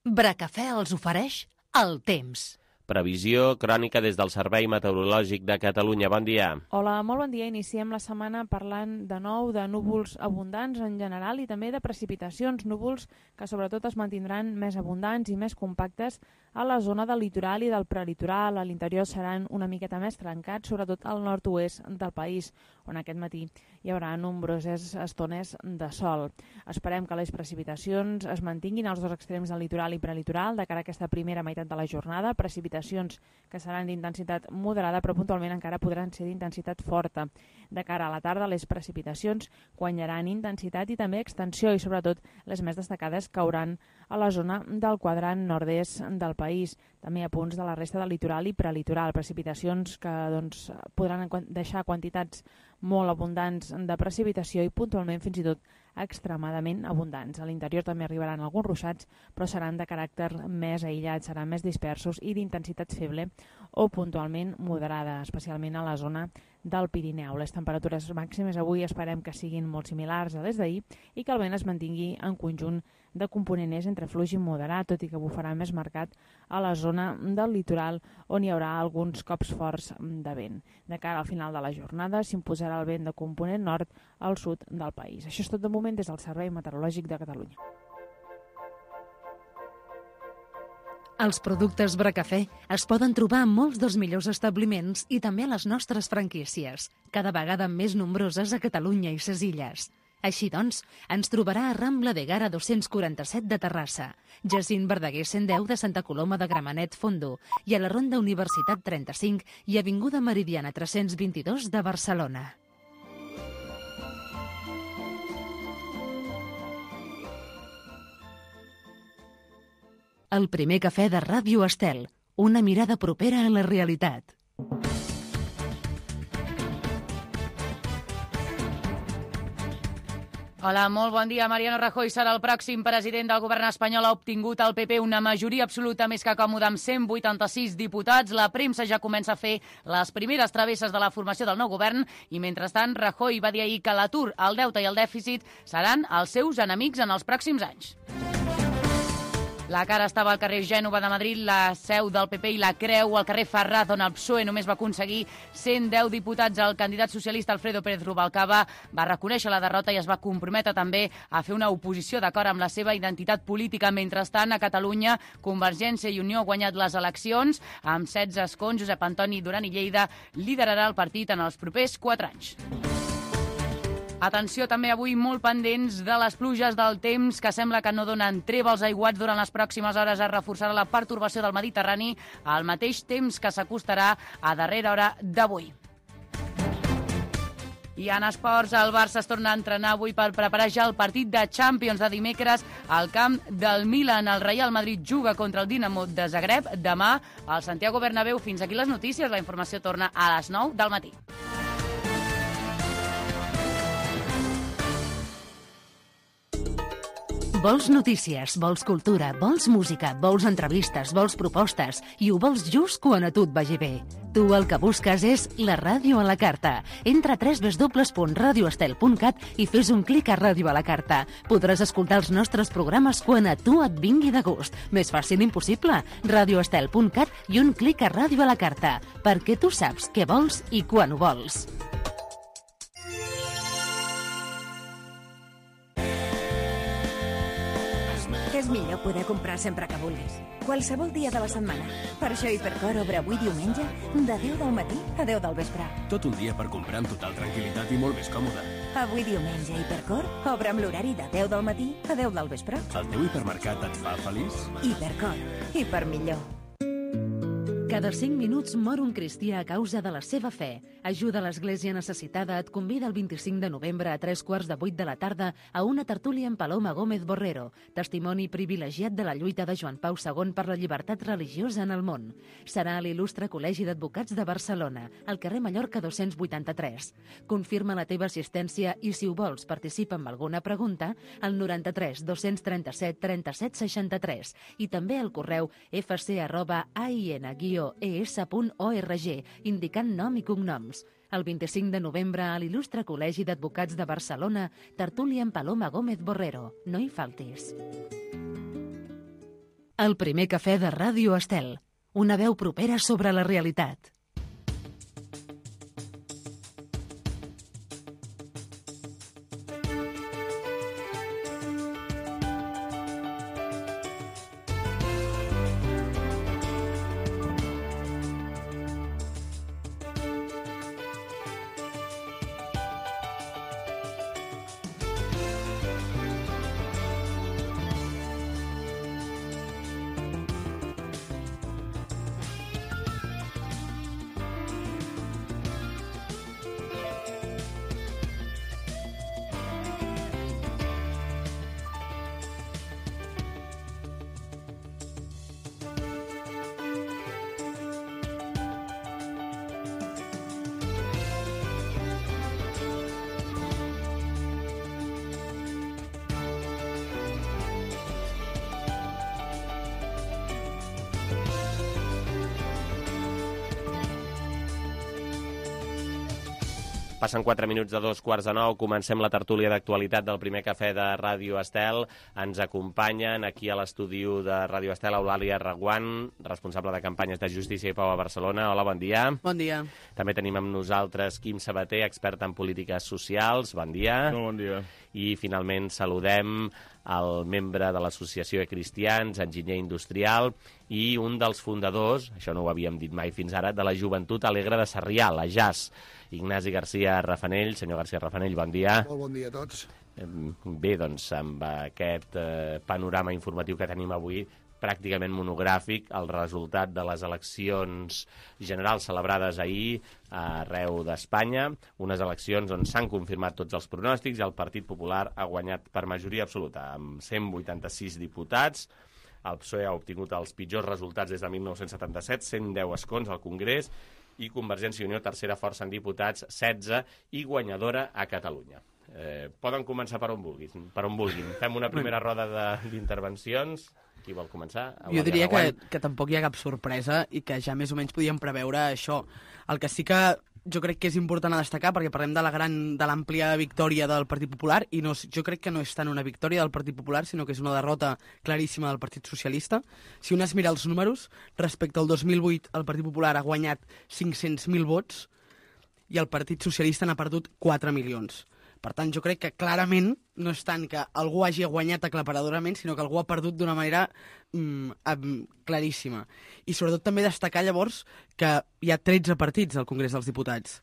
Bracafè els ofereix el temps. Previsió crònica des del Servei Meteorològic de Catalunya. Bon dia. Hola, molt bon dia. Iniciem la setmana parlant de nou de núvols abundants en general i també de precipitacions. Núvols que sobretot es mantindran més abundants i més compactes a la zona del litoral i del prelitoral. A l'interior seran una miqueta més trencats, sobretot al nord-oest del país, on aquest matí hi haurà nombroses estones de sol. Esperem que les precipitacions es mantinguin als dos extrems del litoral i prelitoral de cara a aquesta primera meitat de la jornada. Precipitacions que seran d'intensitat moderada, però puntualment encara podran ser d'intensitat forta. De cara a la tarda, les precipitacions guanyaran intensitat i també extensió, i sobretot les més destacades cauran a la zona del quadrant nord-est del país, també a punts de la resta del litoral i prelitoral. Precipitacions que podran deixar quantitats molt abundants de precipitació i puntualment fins i tot extremadament abundants. A l'interior també arribaran alguns ruixats, però seran de caràcter més aïllat, seran més dispersos i d'intensitat feble o puntualment moderada, especialment a la zona del Pirineu. Les temperatures màximes avui esperem que siguin molt similars a les d'ahir i que el vent es mantingui en conjunt de component és entre fluix i moderat, tot i que bufarà més marcat a la zona del litoral on hi haurà alguns cops forts de vent. De cara al final de la jornada s'imposarà el vent de component nord al sud del país. Això és tot de moment des del Servei Meteorològic de Catalunya. Els productes Bracafé es poden trobar en molts dels millors establiments i també a les nostres franquícies, cada vegada més nombroses a Catalunya i ses illes. Així doncs, ens trobarà a Rambla de Gara 247 de Terrassa, Jacint Verdaguer 110 de Santa Coloma de Gramenet Fondo i a la Ronda Universitat 35 i Avinguda Meridiana 322 de Barcelona. El primer cafè de Ràdio Estel, una mirada propera a la realitat. Hola, molt bon dia. Mariano Rajoy serà el pròxim president del govern espanyol. Ha obtingut el PP una majoria absoluta més que còmoda amb 186 diputats. La premsa ja comença a fer les primeres travesses de la formació del nou govern i, mentrestant, Rajoy va dir ahir que l'atur, el deute i el dèficit seran els seus enemics en els pròxims anys. La cara estava al carrer Gènova de Madrid, la seu del PP i la Creu, al carrer Ferraz, on el PSOE només va aconseguir 110 diputats. El candidat socialista Alfredo Pérez Rubalcaba va reconèixer la derrota i es va comprometre també a fer una oposició d'acord amb la seva identitat política. Mentrestant, a Catalunya, Convergència i Unió ha guanyat les eleccions. Amb 16 escons, Josep Antoni Duran i Lleida liderarà el partit en els propers 4 anys. Atenció també avui molt pendents de les pluges del temps que sembla que no donen treva als aiguats. Durant les pròximes hores es reforçarà la pertorbació del Mediterrani al mateix temps que s'acostarà a darrera hora d'avui. I en esports, el Barça es torna a entrenar avui per preparar ja el partit de Champions de dimecres al camp del Milan. El Real Madrid juga contra el Dinamo de Zagreb demà al Santiago Bernabéu. Fins aquí les notícies. La informació torna a les 9 del matí. Vols notícies, vols cultura, vols música, vols entrevistes, vols propostes i ho vols just quan a tu et vagi bé. Tu el que busques és la ràdio a la carta. Entra a www.radioestel.cat i fes un clic a Ràdio a la carta. Podràs escoltar els nostres programes quan a tu et vingui de gust. Més fàcil impossible. Radioestel.cat i un clic a Ràdio a la carta. Perquè tu saps què vols i quan ho vols. És millor poder comprar sempre que vulguis. Qualsevol dia de la setmana. Per això Hipercor obre avui diumenge de 10 del matí a 10 del vespre. Tot un dia per comprar amb total tranquil·litat i molt més còmode. Avui diumenge Hipercor obre amb l'horari de 10 del matí a 10 del vespre. El teu hipermercat et fa feliç? Hipercor. Hiper millor. Cada 5 minuts mor un cristià a causa de la seva fe. Ajuda l'Església Necessitada et convida el 25 de novembre a 7:45 de la tarda a una tertúlia amb Paloma Gómez Borrero, testimoni privilegiat de la lluita de Joan Pau II per la llibertat religiosa en el món. Serà a l'Il·lustre Col·legi d'Advocats de Barcelona, al carrer Mallorca 283. Confirma la teva assistència i, si ho vols, participa amb alguna pregunta al 93 237 37 63 i també al correu fc@ain-es.org, indicant nom i cognoms. El 25 de novembre, a l'Il·lustre Col·legi d'Advocats de Barcelona, tertúlia amb Paloma Gómez Borrero. No hi faltis. El primer cafè de Ràdio Estel. Una veu propera sobre la realitat. Passen 4 minuts de 2:45, comencem la tertúlia d'actualitat del primer cafè de Ràdio Estel. Ens acompanyen aquí a l'estudi de Ràdio Estel Eulàlia Reguant, responsable de campanyes de Justícia i Pau a Barcelona. Hola, bon dia. Bon dia. També tenim amb nosaltres Quim Sabater, expert en polítiques socials. Bon dia. Bon dia. I finalment saludem el membre de l'Associació de Cristians, enginyer industrial, i un dels fundadors, això no ho havíem dit mai fins ara, de la Joventut Alegre de Sarrià, la JAS, Ignasi García Rafanell. Senyor García Rafanell, bon dia. Molt bon dia a tots. Bé, doncs, amb aquest panorama informatiu que tenim avui, pràcticament monogràfic, el resultat de les eleccions generals celebrades ahir arreu d'Espanya, unes eleccions on s'han confirmat tots els pronòstics i el Partit Popular ha guanyat per majoria absoluta, amb 186 diputats. El PSOE ha obtingut els pitjors resultats des de 1977, 110 escons al Congrés, i Convergència i Unió, tercera força en diputats, 16, i guanyadora a Catalunya. Poden començar per on vulguin. Fem una primera roda d'intervencions. Qui vol començar? Jo diria que tampoc hi ha cap sorpresa i que ja més o menys podíem preveure això. El que sí que jo crec que és important a destacar, perquè parlem de l'àmplia victòria del Partit Popular, i jo crec que no és tant una victòria del Partit Popular, sinó que és una derrota claríssima del Partit Socialista. Si un es mira els números, respecte al 2008 el Partit Popular ha guanyat 500.000 vots i el Partit Socialista n'ha perdut 4 milions. Per tant, jo crec que clarament no és tant que algú hagi guanyat aclaparadorament, sinó que algú ha perdut d'una manera claríssima. I sobretot també destacar llavors que hi ha 13 partits al Congrés dels Diputats,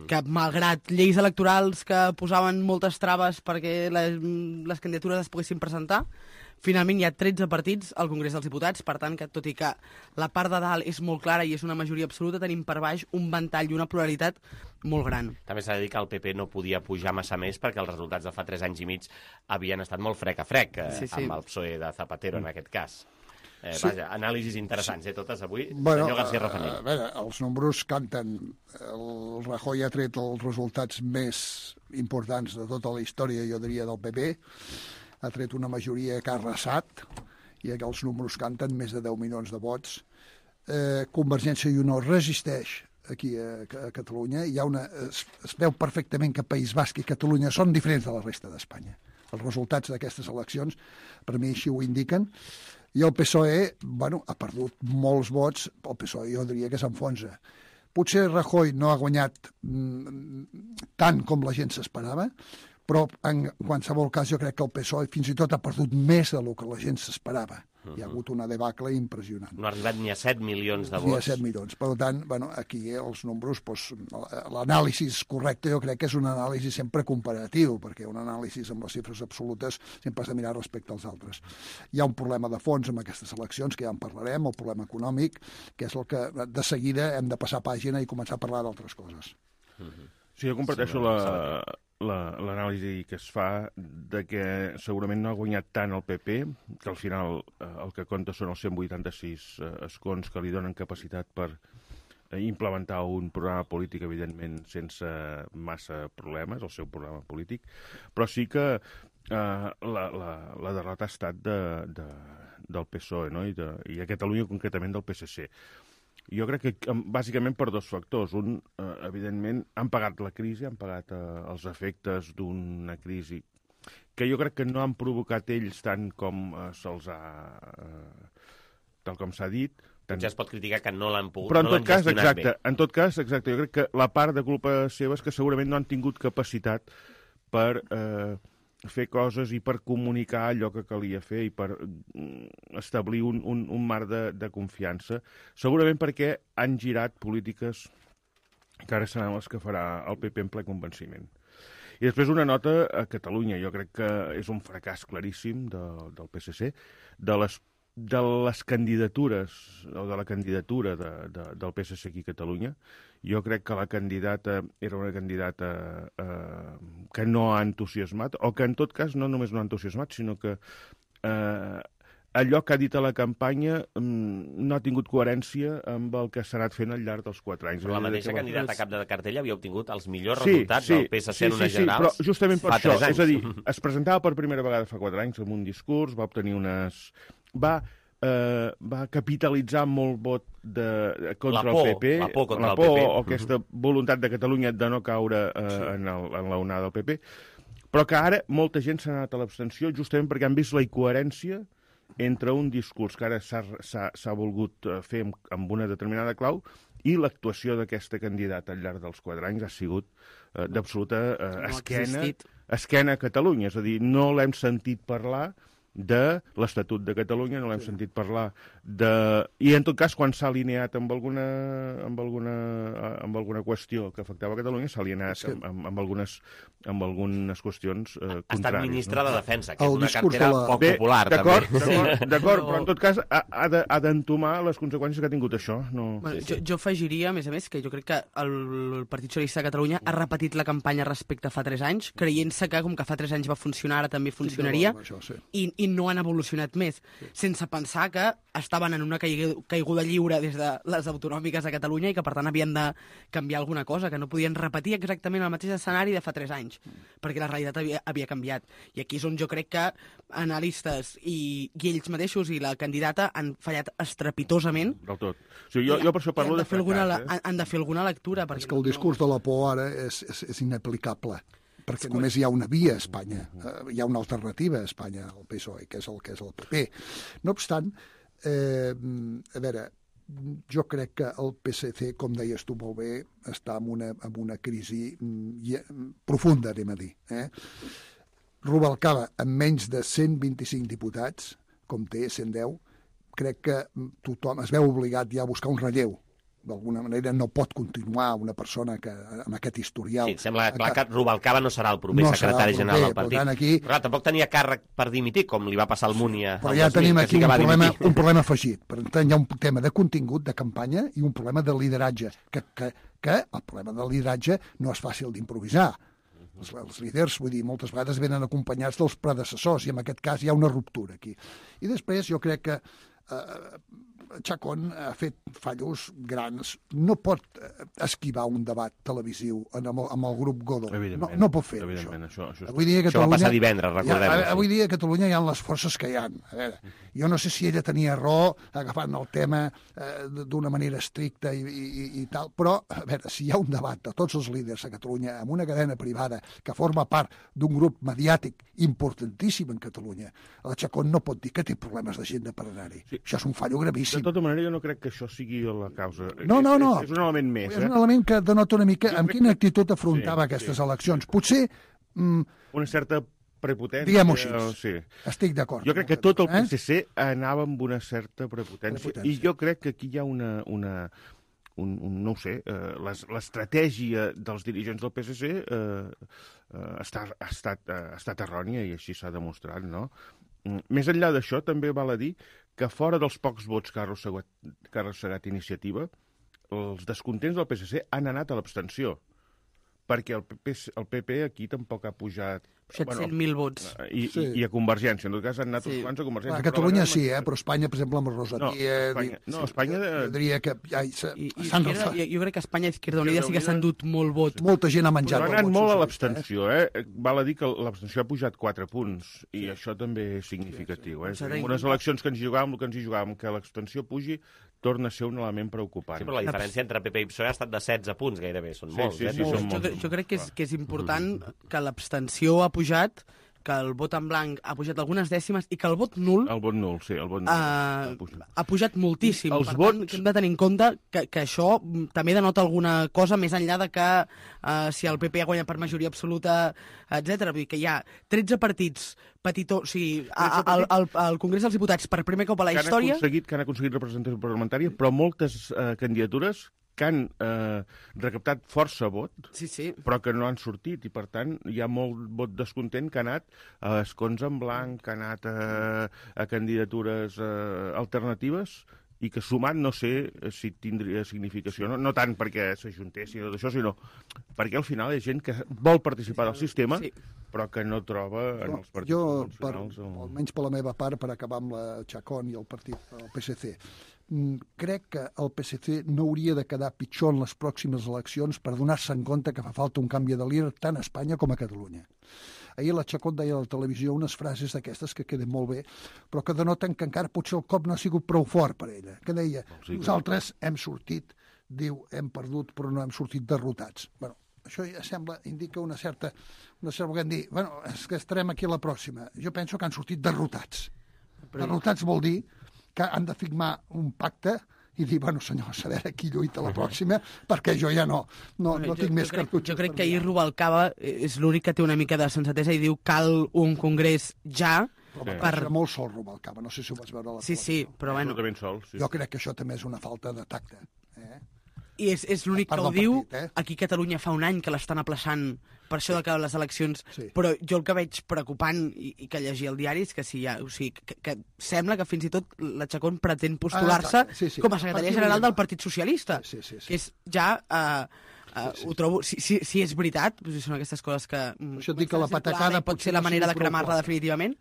que malgrat lleis electorals que posaven moltes traves perquè les candidatures es poguessin presentar, finalment hi ha 13 partits al Congrés dels Diputats, per tant que tot i que la part de dalt és molt clara i és una majoria absoluta, tenim per baix un ventall i una pluralitat molt gran. També s'ha de dir que el PP no podia pujar massa més perquè els resultats de fa 3 anys i mig havien estat molt frec a frec, amb el PSOE de Zapatero en aquest cas. Vaja, anàlisis interessants, totes avui. Senyor García Rafanell. A veure, els números canten. El Rajoy ha tret els resultats més importants de tota la història, jo diria, del PP. Ha tret una majoria que ha arrasat, i els números canten, més de 10 milions de vots. Convergència i Unió resisteix aquí a Catalunya. Es veu perfectament que País Basc i Catalunya són diferents de la resta d'Espanya. Els resultats d'aquestes eleccions, per mi, així ho indiquen. I el PSOE, ha perdut molts vots. El PSOE jo diria que s'enfonsa. Potser Rajoy no ha guanyat tant com la gent s'esperava, però en qualsevol cas jo crec que el PSOE fins i tot ha perdut més del que la gent s'esperava. Hi ha hagut una debacle impressionant. No ha arribat ni a 7 milions de vots. Ni a 7 milions. Per tant, aquí els números, l'anàlisi correcte jo crec que és un anàlisi sempre comparatiu, perquè un anàlisi amb les xifres absolutes sempre has de mirar respecte als altres. Hi ha un problema de fons amb aquestes eleccions, que ja en parlarem, el problema econòmic, que és el que de seguida hem de passar pàgina i començar a parlar d'altres coses. Sí, jo comparteixo l'anàlisi que es fa de que segurament no ha guanyat tant el PP, que al final el que compta són els 186 escons que li donen capacitat per implementar un programa polític, evidentment, sense massa problemes, el seu programa polític, però sí que la derrota ha estat del PSOE, no? I a Catalunya concretament del PSC. Jo crec que bàsicament per 2 factors. Un, evidentment, han pagat la crisi, han pagat els efectes d'una crisi que jo crec que no han provocat ells tant com se'ls ha... tal com s'ha dit. Ja es pot criticar que no l'han pogut, però no l'han gestionat bé. En tot cas, exacte, jo crec que la part de culpa seva és que segurament no han tingut capacitat per fer coses i per comunicar allò que calia fer i per establir un marc de confiança, segurament perquè han girat polítiques que ara seran les que farà el PP en ple convenciment. I després una nota a Catalunya. Jo crec que és un fracàs claríssim del PSC, de les candidatures, o de la candidatura del PSC aquí a Catalunya. Jo crec que la candidata era una candidata que no ha entusiasmat, o que en tot cas no només no ha entusiasmat, sinó que allò que ha dit a la campanya no ha tingut coherència amb el que s'ha anat fent al llarg dels 4 anys. Però la mateixa candidata a cap de cartella havia obtingut els millors resultats del PSC en unes generals. Però justament per això, és a dir, es presentava per primera vegada fa 4 anys amb un discurs, va obtenir unes... va va capitalitzar molt vot contra la por, el PP. la por contra el PP. O aquesta voluntat de Catalunya de no caure en la onada del PP. Però que ara molta gent s'ha anat a l'abstenció justament perquè han vist la incoherència entre un discurs que ara s'ha volgut fer amb una determinada clau i l'actuació d'aquesta candidata al llarg dels 4 anys ha sigut d'absoluta esquena a Catalunya. És a dir, no l'hem sentit parlar de l'Estatut de Catalunya, no l'hem sentit parlar de... I en tot cas, quan s'ha alineat amb alguna qüestió que afectava Catalunya, s'ha alineat amb algunes qüestions contràries. Ha estat ministre de Defensa, que és El una discurs cartera de la- poc popular, també. D'acord, però en tot cas ha d'entomar les conseqüències que ha tingut això. No... Bueno, jo afegiria, a més, que jo crec que el Partit Socialista de Catalunya ha repetit la campanya respecte a fa 3 anys, creient-se que, com que fa 3 anys va funcionar, ara també funcionaria, i no han evolucionat més, sense pensar que estaven en una caiguda lliure des de les autonòmiques de Catalunya i que, per tant, havien de canviar alguna cosa, que no podien repetir exactament el mateix escenari de fa 3 anys, perquè la realitat havia canviat. I aquí és on jo crec que analistes i ells mateixos i la candidata han fallat estrepitosament. Del tot. O sigui, jo per això parlo de fracàs. Han de fer alguna lectura. És que el discurs de la por ara és inaplicable, perquè només hi ha una via a Espanya, hi ha una alternativa a Espanya, el PSOE, que és el PP. No obstant, a veure, jo crec que el PSC, com deies tu molt bé, està en una crisi profunda, anem a dir. Rubalcaba, amb menys de 125 diputats, com té 110, crec que tothom es veu obligat ja a buscar un relleu. D'alguna manera no pot continuar una persona que amb aquest historial... Sí, sembla clar que Rubalcaba no serà el proper secretari general del partit. Aquí... Però clar, tampoc tenia càrrec per dimitir, com li va passar al Múnia. Però ja tenim aquí un problema afegit. Per tant, hi ha un tema de contingut, de campanya, i un problema de lideratge, que el problema del lideratge no és fàcil d'improvisar. Els líders, vull dir, moltes vegades venen acompanyats dels predecessors, i en aquest cas hi ha una ruptura aquí. I després jo crec que Chacón ha fet fallos grans. No pot esquivar un debat televisiu amb el grup Godó. No pot fer això. Això va passar divendres, recordem-ho. Avui dia a Catalunya hi ha les forces que hi ha. A veure, jo no sé si ella tenia raó agafant el tema d'una manera estricta i tal, però a veure, si hi ha un debat de tots els líders a Catalunya amb una cadena privada que forma part d'un grup mediàtic importantíssim en Catalunya, el Chacón no pot dir que té problemes d'agenda per anar-hi. Això és un fallo gravíssim. De tota manera, jo no crec que això sigui la causa. No. És un element més. És un element que denota una mica amb quina actitud afrontava aquestes eleccions. Potser... Una certa prepotència. Diguem-ho així. Sí. Estic d'acord. Jo crec que tot el PSC anava amb una certa prepotència. I jo crec que aquí hi ha no ho sé, l'estratègia dels dirigents del PSC ha estat errònia i així s'ha demostrat, no? Més enllà d'això, també val a dir que fora dels pocs vots que ha arrossegat Iniciativa, els descontents del PSC han anat a l'abstenció, perquè el PP aquí tampoc ha pujat... 700.000 vots. I a Convergència. En tot cas, han anat uns quants a Convergència. A Catalunya sí, però Espanya, per exemple, amb el Rosatia... Espanya... Diria que jo crec que Espanya i Izquierda Unida sí que s'han dut molt vot. Molta gent ha menjat. Però ha anat molt a l'abstenció, Val a dir que l'abstenció ha pujat 4 punts, i això també és significatiu, En unes eleccions que ens hi jugàvem, que l'abstenció pugi, torna a ser un element preocupant. Sí, però la diferència entre PP i PSOE ha estat de 16 punts, gairebé. Són molts, Jo crec que és important que l'abstenció ha pujat, que el vot en blanc ha pujat algunes dècimes i que el vot nul... El vot nul, sí, el vot nul. Ha pujat moltíssim. Per tant, hem de tenir en compte que això també denota alguna cosa més enllà de que si el PP ha guanyat per majoria absoluta, etc. Vull dir que hi ha 13 partits petitons, o sigui, al Congrés dels Diputats per primer cop a la història... Que han aconseguit representació parlamentària, però moltes candidatures que han recaptat força vot, però que no han sortit, i per tant hi ha molt vot descontent que ha anat a escons en blanc, que ha anat a candidatures alternatives, i que sumat no sé si tindria significació, no tant perquè s'ajuntessin o d'això, sinó perquè al final hi ha gent que vol participar del sistema, però que no troba en els partits convencionals... Almenys per la meva part, per acabar amb la Chacón i el PSC, crec que el PSC no hauria de quedar pitjor en les pròximes eleccions per donar-se en compte que fa falta un canvi de líder tant a Espanya com a Catalunya. Ahir la Chacón deia a la televisió unes frases d'aquestes que queden molt bé, però que denoten que encara potser el cop no ha sigut prou fort per ella, que deia, nosaltres hem sortit, diu, hem perdut, però no hem sortit derrotats. Bueno, això ja sembla, indica una certa volem dir, bueno, és que estarem aquí a la pròxima. Jo penso que han sortit derrotats. Derrotats vol dir que han de firmar un pacte i dir, bueno, senyors, a veure qui lluita la pròxima, perquè jo ja no tinc més cartutxos. Jo crec que ahir Rubalcaba és l'únic que té una mica de sensatesa i diu cal un congrés ja. Era molt sol Rubalcaba, no sé si ho vas veure a la televisió. Sí, però bueno. Jo crec que això també és una falta de tacte. I és l'únic que ho diu. Aquí a Catalunya fa un any que l'estan aplaçant per això de que les eleccions... Però jo el que veig preocupant i que llegia el diari és que que sembla que fins i tot la Chacón pretén postular-se com a secretària general del Partit Socialista. Que és ja... ho trobo... Si és veritat, són aquestes coses que... Això et dic que la patacada pot ser la manera de cremar-la definitivament,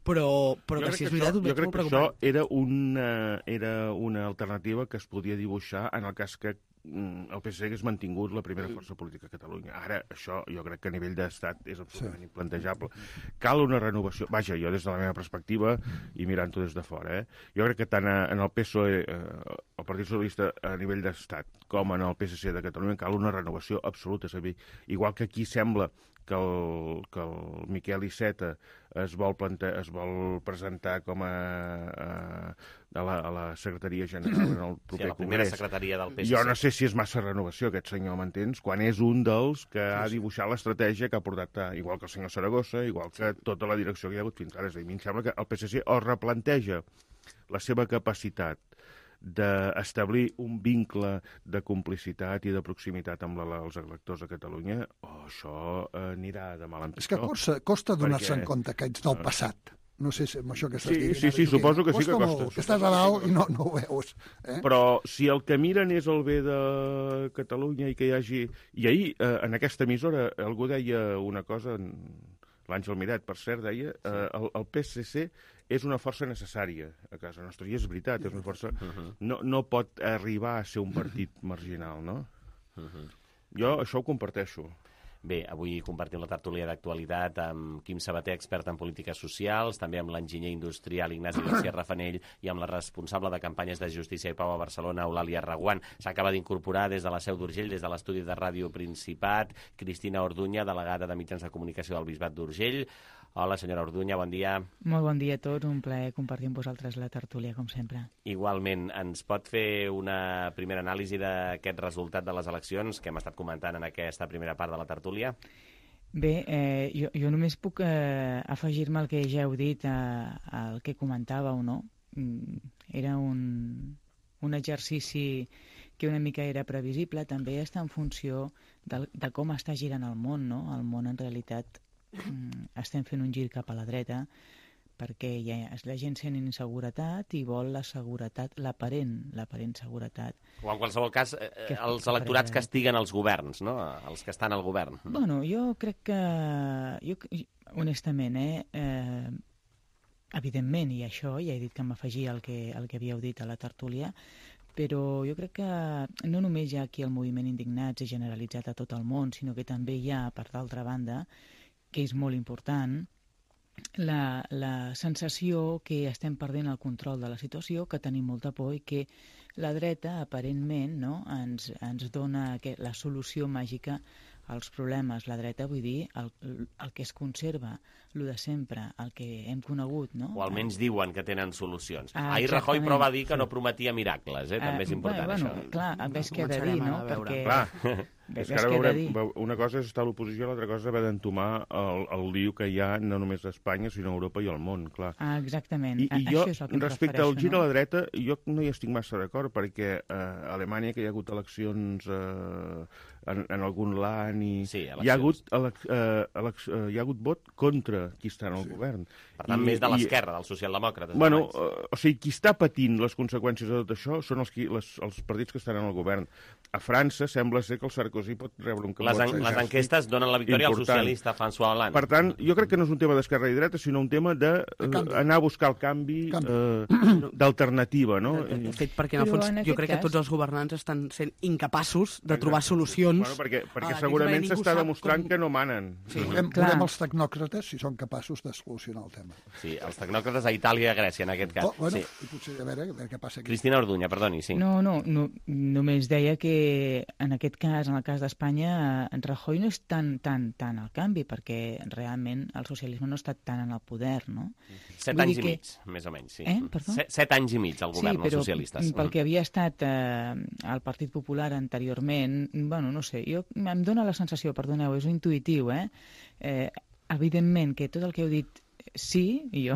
però que si és veritat ho veig molt preocupant. Jo crec que això era una alternativa que es podia dibuixar en el cas que el PSC hagués mantingut la primera força política a Catalunya. Ara, això jo crec que a nivell d'estat és absolutament implantejable. Cal una renovació. Vaja, jo des de la meva perspectiva i mirant-ho des de fora, jo crec que tant en el PSOE, el Partit Socialista a nivell d'estat, com en el PSC de Catalunya cal una renovació absoluta. És a dir, igual que aquí sembla que el Miquel Iceta es vol presentar com a la secretaria general en el proper la primera congrés. Secretaria del PSC. Jo no sé si és massa renovació aquest senyor, m'entens? Quan és un dels que ha dibuixat l'estratègia que ha portat, igual que el senyor Saragossa, igual que tota la direcció que hi ha hagut fins ara. És a dir, a mi em sembla que el PSC o replanteja la seva capacitat d'establir un vincle de complicitat i de proximitat amb els electors de Catalunya, això anirà de mal en pitjor. És que costa donar-se en compte que ets del passat. No sé si amb això que estàs dient. Sí, suposo que sí que costa. Que estàs a dalt i no ho veus. Però si el que miren és el bé de Catalunya i que hi hagi... I ahir, en aquesta emissora, algú deia una cosa, l'Àngel Miret, per cert, deia, el PSC és una força necessària a casa nostra, i és veritat, és una força... No pot arribar a ser un partit marginal, no? Jo això ho comparteixo. Bé, avui compartim la tertúlia d'actualitat amb Quim Sabater, expert en polítiques socials, també amb l'enginyer industrial Ignasi García Rafanell i amb la responsable de campanyes de Justícia i Pau a Barcelona, Eulàlia Reguant. S'acaba d'incorporar des de la Seu d'Urgell, des de l'estudi de Ràdio Principat, Cristina Orduña, delegada de Mitjans de Comunicació del Bisbat d'Urgell. Hola, senyora Orduña, bon dia. Molt bon dia a tots, un plaer compartir amb vosaltres la tertúlia, com sempre. Igualment, ens pot fer una primera anàlisi d'aquest resultat de les eleccions que hem estat comentant en aquesta primera part de la tertúlia? Bé, jo només puc afegir-me al que ja heu dit, al que comentàveu, no? Era un exercici que una mica era previsible, també està en funció de com està girant el món, no? El món, en realitat, estem fent un gir cap a la dreta perquè la gent sent inseguretat i vol la seguretat, l'aparent seguretat. O en qualsevol cas, els electorats que estiguen als governs, no? Els que estan al govern. Bueno, jo crec que, honestament, evidentment, i això ja he dit que m'afegia al que havíeu dit a la tertúlia, però jo crec que no només hi ha aquí el moviment indignats i generalitzat a tot el món, sinó que també hi ha, per d'altra banda, que és molt important, la sensació que estem perdent el control de la situació, que tenim molta por i que la dreta, aparentment, no, ens dona la solució màgica als problemes. La dreta, vull dir, el que es conserva, el de sempre, el que hem conegut, no? O almenys diuen que tenen solucions. Ahir Rajoy però va dir que no prometia miracles, també és important això. Clar, ves què he de dir, no? Perquè... És que ara una cosa és estar a l'oposició, l'altra cosa és haver d'entomar el lío que hi ha no només a Espanya, sinó a Europa i al món, clar. Exactament. I jo, respecte al gir a la dreta, jo no hi estic massa d'acord, perquè a Alemanya, que hi ha hagut eleccions en algun land, hi ha hagut vot contra qui està en el govern. Per tant, més de l'esquerra, dels socialdemòcrates. Bueno, o sigui, qui està patint les conseqüències de tot això són els partits que estan en el govern. a França sembla ser que el Sarkozy pot rebre un vot. Les enquestes donen la victòria al socialista François Hollande. Per tant, jo crec que no és un tema d'esquerra i dreta, sinó un tema d'anar a buscar el canvi d'alternativa, no? De fet, perquè en el fons jo crec que tots els governants estan sent incapaços de trobar solucions. Perquè segurament s'està demostrant que no manen. Veurem els tecnòcrates si són capaços de solucionar el tema. Sí, els tecnòcrates a Itàlia i a Grècia, en aquest cas. I potser a veure què passa aquí. Cristina Orduña, perdoni, sí. No, només deia que en aquest cas, en el cas d'Espanya, Rajoy no és tan al canvi, perquè realment el socialisme no ha estat tant en el poder, no? 7 anys i mig, més o menys, sí. Perdó? 7 anys i mig el govern dels socialistes. Sí, però pel que havia estat el Partit Popular anteriorment, bueno, no sé, em dóna la sensació, perdoneu, és intuïtiu, evidentment que tot el que heu dit sí, i jo,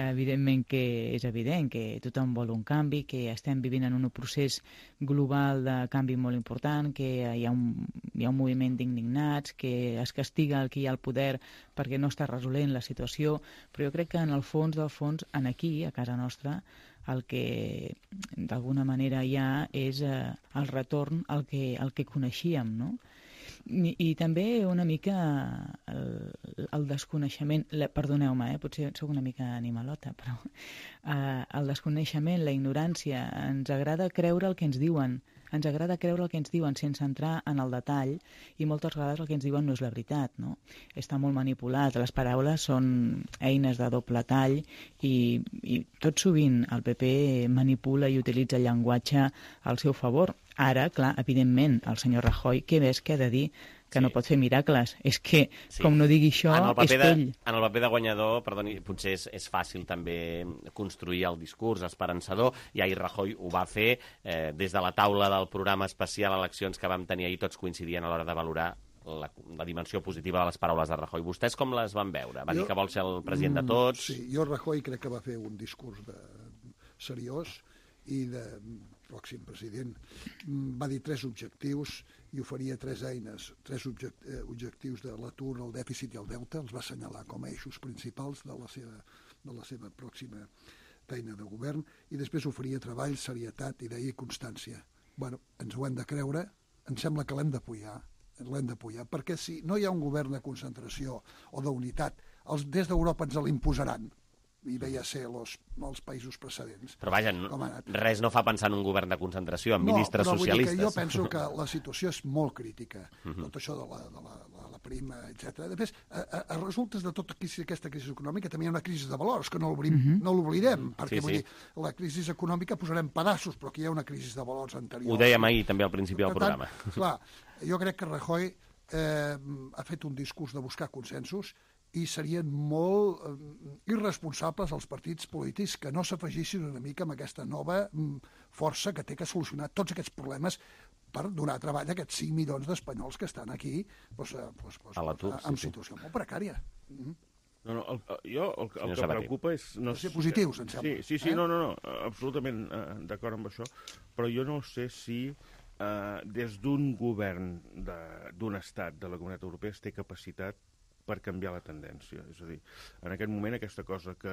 evidentment que és evident que tothom vol un canvi, que estem vivint en un procés global de canvi molt important, que hi ha un moviment d'indignats, que es castiga el qui hi ha el poder perquè no està resolent la situació, però jo crec que en el fons del fons, aquí, a casa nostra, el que d'alguna manera hi ha és el retorn al que coneixíem, no? I també una mica el desconeixement, perdoneu-me, potser soc una mica animalota, però el desconeixement, la ignorància, ens agrada creure el que ens diuen, sense entrar en el detall, i moltes vegades el que ens diuen no és la veritat, no? Està molt manipulat, les paraules són eines de doble tall i tot sovint el PP manipula i utilitza el llenguatge al seu favor. Ara, clar, evidentment, el senyor Rajoy, què més que ha de dir? Que no pot fer miracles. És que, com no digui això, és ell. En el paper de guanyador, perdoni, potser és fàcil també construir el discurs esperançador, i ahir Rajoy ho va fer des de la taula del programa especial Eleccions que vam tenir ahir, tots coincidien a l'hora de valorar la dimensió positiva de les paraules de Rajoy. Vostès com les van veure? Va dir que vol ser el president de tots? Sí, jo Rajoy crec que va fer un discurs seriós i de pròxim president. Va dir 3 objectius i oferia 3 eines, 3 objectius de l'atur, el dèficit i el deute, els va assenyalar com a eixos principals de la seva pròxima feina de govern, i després oferia treball, serietat, idea i constància. Bueno, ens ho hem de creure, em sembla que l'hem d'apoyar, perquè si no hi ha un govern de concentració o d'unitat, des d'Europa ens l'imposaran, i veia ser els països precedents. Però vaja, res no fa pensar en un govern de concentració, en ministres socialistes. Jo penso que la situació és molt crítica, tot això de la prima, etc. Després, a resultes de tota aquesta crisi econòmica també hi ha una crisi de valors, que no l'oblidem, perquè vull dir, la crisi econòmica posarem pedaços, però aquí hi ha una crisi de valors anterior. Ho dèiem ahir també al principi del programa. Clar, jo crec que Rajoy ha fet un discurs de buscar consensos, i serien molt irresponsables els partits polítics que no s'afegissin una mica amb aquesta nova força que té que solucionar tots aquests problemes per donar treball a aquests 5 milions d'espanyols que estan aquí en situació molt precària. Jo el que em preocupa és... Ser positius, em sembla. Sí, absolutament d'acord amb això, però jo no sé si des d'un govern d'un estat de la Comunitat Europea es té capacitat per canviar la tendència. És a dir, en aquest moment aquesta cosa que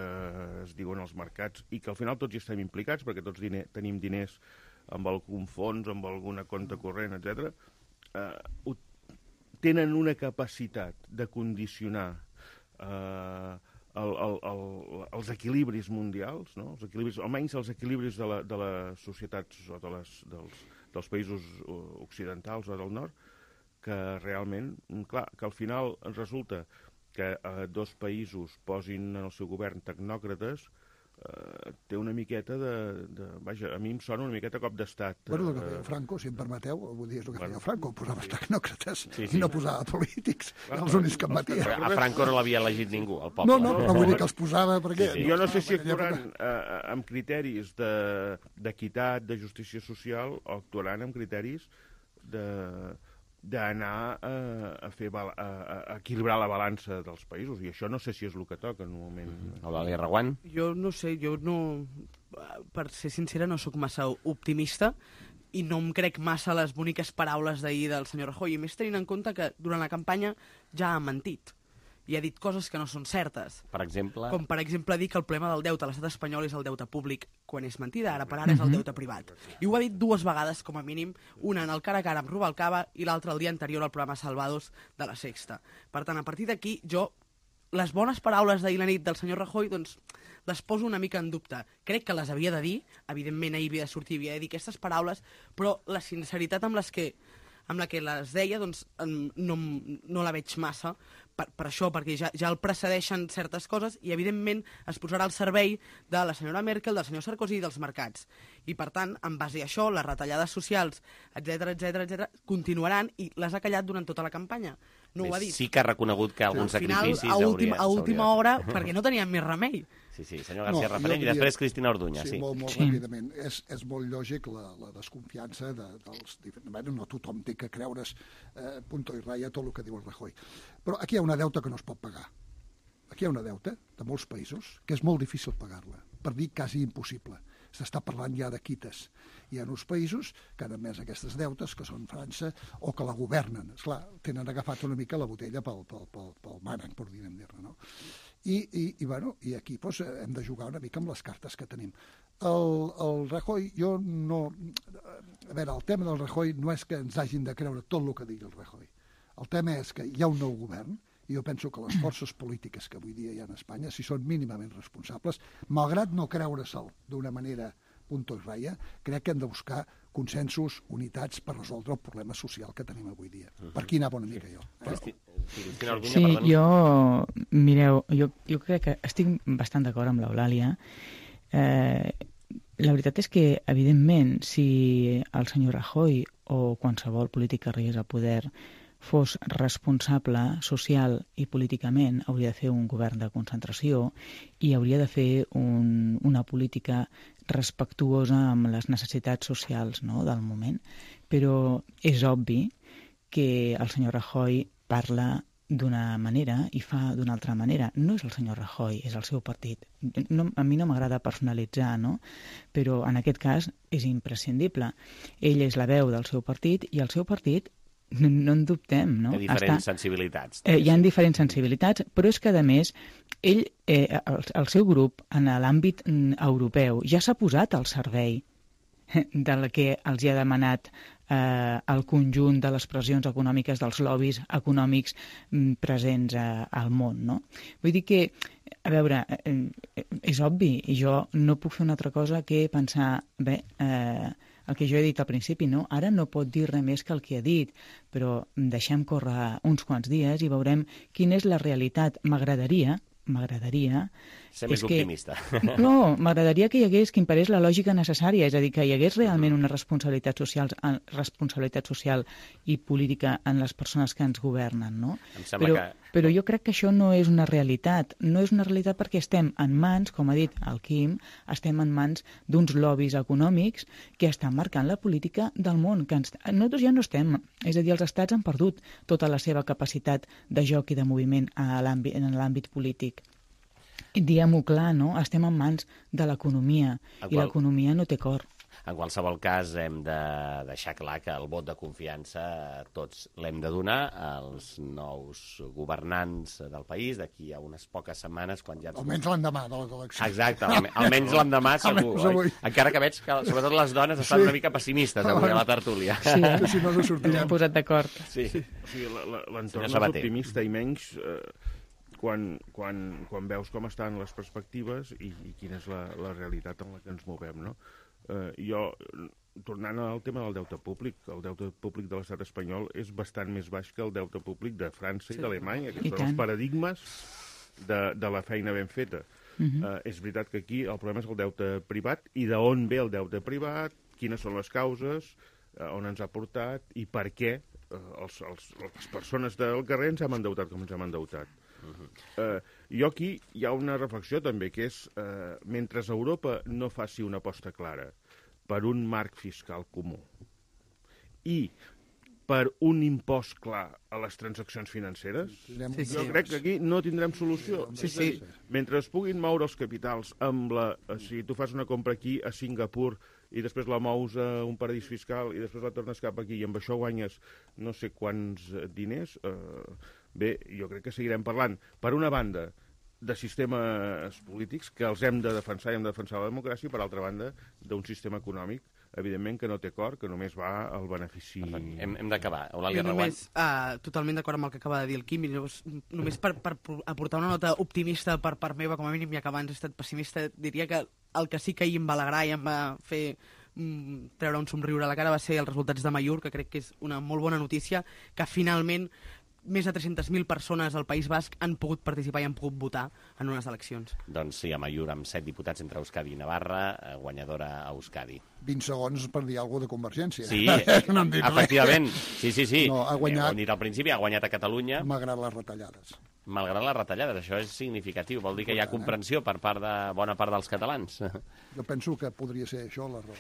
es diuen els mercats i que al final tots hi estem implicats perquè tots tenim diners amb algun fons, amb alguna compte corrent, etc. Tenen una capacitat de condicionar els equilibris mundials, no? Almenys els equilibris de les societats o dels països occidentals o del nord, que realment, clar, que al final resulta que 2 països posin en el seu govern tecnòcrates, té una miqueta vaja, a mi em sona una miqueta cop d'estat. Bueno, el que feia Franco, si em permeteu, vull dir, és el que feia Franco, posava els tecnòcrates i no posava polítics, els únics que em batia. A Franco no l'havia elegit ningú, el poble. No, vull dir que els posava perquè... Jo no sé si actuaran amb criteris d'equitat, de justícia social, o actuaran amb criteris d'anar a equilibrar la balança dels països, i això no sé si és el que toca en un moment. Eulàlia Reguant? Jo no sé, per ser sincera, no sóc massa optimista i no em crec massa les boniques paraules d'ahir del senyor Rajoy, i més tenint en compte que durant la campanya ja ha mentit. i ha dit coses que no són certes. Per exemple? Com, per exemple, dir que el problema del deute a l'estat espanyol és el deute públic, quan és mentida, ara per ara és el deute privat. I ho ha dit 2 vegades, com a mínim, una en el cara a cara amb Rubalcaba i l'altra el dia anterior al programa Salvados de La Sexta. Per tant, a partir d'aquí, jo, les bones paraules d'ahir la nit del senyor Rajoy, doncs, les poso una mica en dubte. Crec que les havia de dir, evidentment ahir havia de sortir, havia de dir aquestes paraules, però la sinceritat amb la que les deia, doncs, no la veig massa, per això, perquè ja el precedeixen certes coses i, evidentment, es posarà al servei de la senyora Merkel, del senyor Sarkozy i dels mercats. I, per tant, en base a això, les retallades socials, etc continuaran i les ha callat durant tota la campanya. No ho ha dit. Sí que ha reconegut que alguns sacrificis a última hora, perquè no tenien més remei. Sí, senyor García Referent, i després Cristina Orduña. Sí, molt ràpidament. És molt lògic la desconfiança dels diferents... No tothom té que creure's punto i ratlla tot el que diu el Rajoy. Però aquí hi ha una deuta que no es pot pagar. Aquí hi ha una deuta de molts països que és molt difícil pagar-la, per dir quasi impossible. S'està parlant ja de quites. Hi ha uns països que han emès aquestes deutes, que són França, o que la governen. Esclar, tenen agafat una mica la botella pel mànec, per dir-ne, no? I aquí doncs, hem de jugar una mica amb les cartes que tenim. El Rajoy, jo no... A veure, el tema del Rajoy no és que ens hagin de creure tot el que digui el Rajoy. El tema és que hi ha un nou govern, i jo penso que les forces polítiques que avui dia hi ha a Espanya, si són mínimament responsables, malgrat no creure-se'l d'una manera punto i ratlla, crec que hem de buscar consensos, unitats per resoldre el problema social que tenim avui dia. Per aquí anava una mica jo. Sí, mireu, jo crec que estic bastant d'acord amb l'Eulàlia. La veritat és que, evidentment, si el senyor Rajoy o qualsevol polític que arribés al poder fos responsable social i políticament, hauria de fer un govern de concentració i hauria de fer una política respectuosa amb les necessitats socials, no?, del moment. Però és obvi que el senyor Rajoy parla d'una manera i fa d'una altra manera. No és el senyor Rajoy, és el seu partit. A mi no m'agrada personalitzar, no?, però en aquest cas és imprescindible. Ell és la veu del seu partit i el seu partit, no en dubtem, no? Hi ha diferents sensibilitats. Hi ha diferents sensibilitats, però és que, a més, ell, el seu grup, en l'àmbit europeu, ja s'ha posat al servei del que els hi ha demanat el conjunt de les pressions econòmiques, dels lobbies econòmics presents al món, no? Vull dir que, a veure, és obvi, i jo no puc fer una altra cosa que pensar, bé, el que jo he dit al principi, no? Ara no pot dir res més que el que ha dit, però deixem córrer uns quants dies i veurem quina és la realitat. M'agradaria ser més optimista. No, m'agradaria que hi hagués, que imperés la lògica necessària, és a dir, que hi hagués realment una responsabilitat social i política en les persones que ens governen, no? Però jo crec que això no és una realitat. No és una realitat perquè estem en mans, com ha dit el Quim, estem en mans d'uns lobbies econòmics que estan marcant la política del món. Nosaltres ja no estem. És a dir, els estats han perdut tota la seva capacitat de joc i de moviment en l'àmbit polític. Diguem-ho clar, no? Estem en mans de l'economia i l'economia no té cor. En qualsevol cas, hem de deixar clar que el vot de confiança tots l'hem de donar als nous governants del país d'aquí a unes poques setmanes, quan ja... Almenys l'endemà de les eleccions. Exacte, almenys l'endemà segur, oi? Encara que veig que, sobretot les dones, estan una mica pessimistes avui a la tertúlia. Sí, si no sortirem. Ens posat d'acord. Sí. L'entorn és optimista i menys... Quan veus com estan les perspectives i quina és la realitat en la que ens movem, no? Jo, tornant al tema del deute públic, el deute públic de l'estat espanyol és bastant més baix que el deute públic de França i d'Alemanya, que són els paradigmes de la feina ben feta. És veritat que aquí el problema és el deute privat i d'on ve el deute privat, quines són les causes, on ens ha portat i per què les persones del carrer ens hem endeutat com ens hem endeutat. Jo aquí hi ha una reflexió també, que és mentre Europa no faci una aposta clara per un marc fiscal comú i per un impost clar a les transaccions financeres, jo crec que aquí no tindrem solució. Mentre es puguin moure els capitals si tu fas una compra aquí a Singapur i després la mous a un paradís fiscal i després la tornes cap aquí i amb això guanyes no sé quants diners, Bé, jo crec que seguirem parlant, per una banda, de sistemes polítics que els hem de defensar i hem de defensar la democràcia, i per altra banda, d'un sistema econòmic, evidentment, que no té cor, que només va al benefici... Hem d'acabar. Eulàlia Jo Reguant. totalment d'acord amb el que acaba de dir el Quim, i només per aportar una nota optimista per part meva, com a mínim, ja que abans he estat pessimista, diria que el que sí que ahir em va alegrar i em va fer treure un somriure a la cara va ser els resultats de Mallorca, que crec que és una molt bona notícia, que finalment més de 300.000 persones al País Basc han pogut participar i han pogut votar en unes eleccions. Doncs sí, a Mallorca, amb 7 diputats entre Euskadi i Navarra, guanyadora a Euskadi. 20 segons per dir alguna cosa de Convergència. Sí, no hem dit efectivament. res. Sí. No, ha guanyat... Ho he dit al principi, ha guanyat a Catalunya. Malgrat les retallades. Malgrat les retallades, això és significatiu. Vol dir que hi ha comprensió per part de bona part dels catalans. Jo penso que podria ser això la raó.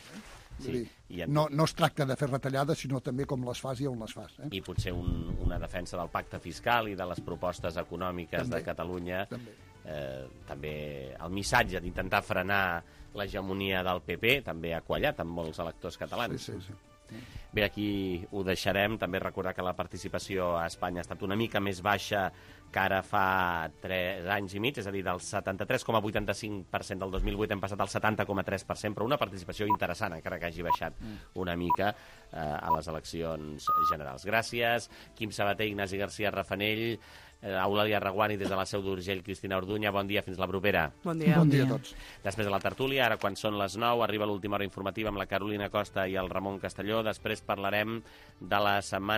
Sí, dir, no es tracta de fer retallades, sinó també com les fas i on les fas. I potser una defensa del pacte fiscal i de les propostes econòmiques també, de Catalunya. També el missatge d'intentar frenar l'hegemonia del PP també ha quallat amb molts electors catalans. Sí. Bé, aquí ho deixarem. També recordar que la participació a Espanya ha estat una mica més baixa que ara fa 3 anys i mig, és a dir, del 73,85% del 2008 hem passat al 70,3%, però una participació interessant, encara que hagi baixat una mica a les eleccions generals. Gràcies, Quim Sabater, Ignasi García Rafanell, Eulàlia Reguant i des de la Seu d'Urgell, Cristina Orduña. Bon dia, fins la propera. Bon dia. Bon dia a tots. Després de la tertúlia, ara quan són les 9, arriba l'última hora informativa amb la Carolina Costa i el Ramon Castelló. Després parlarem de la setmana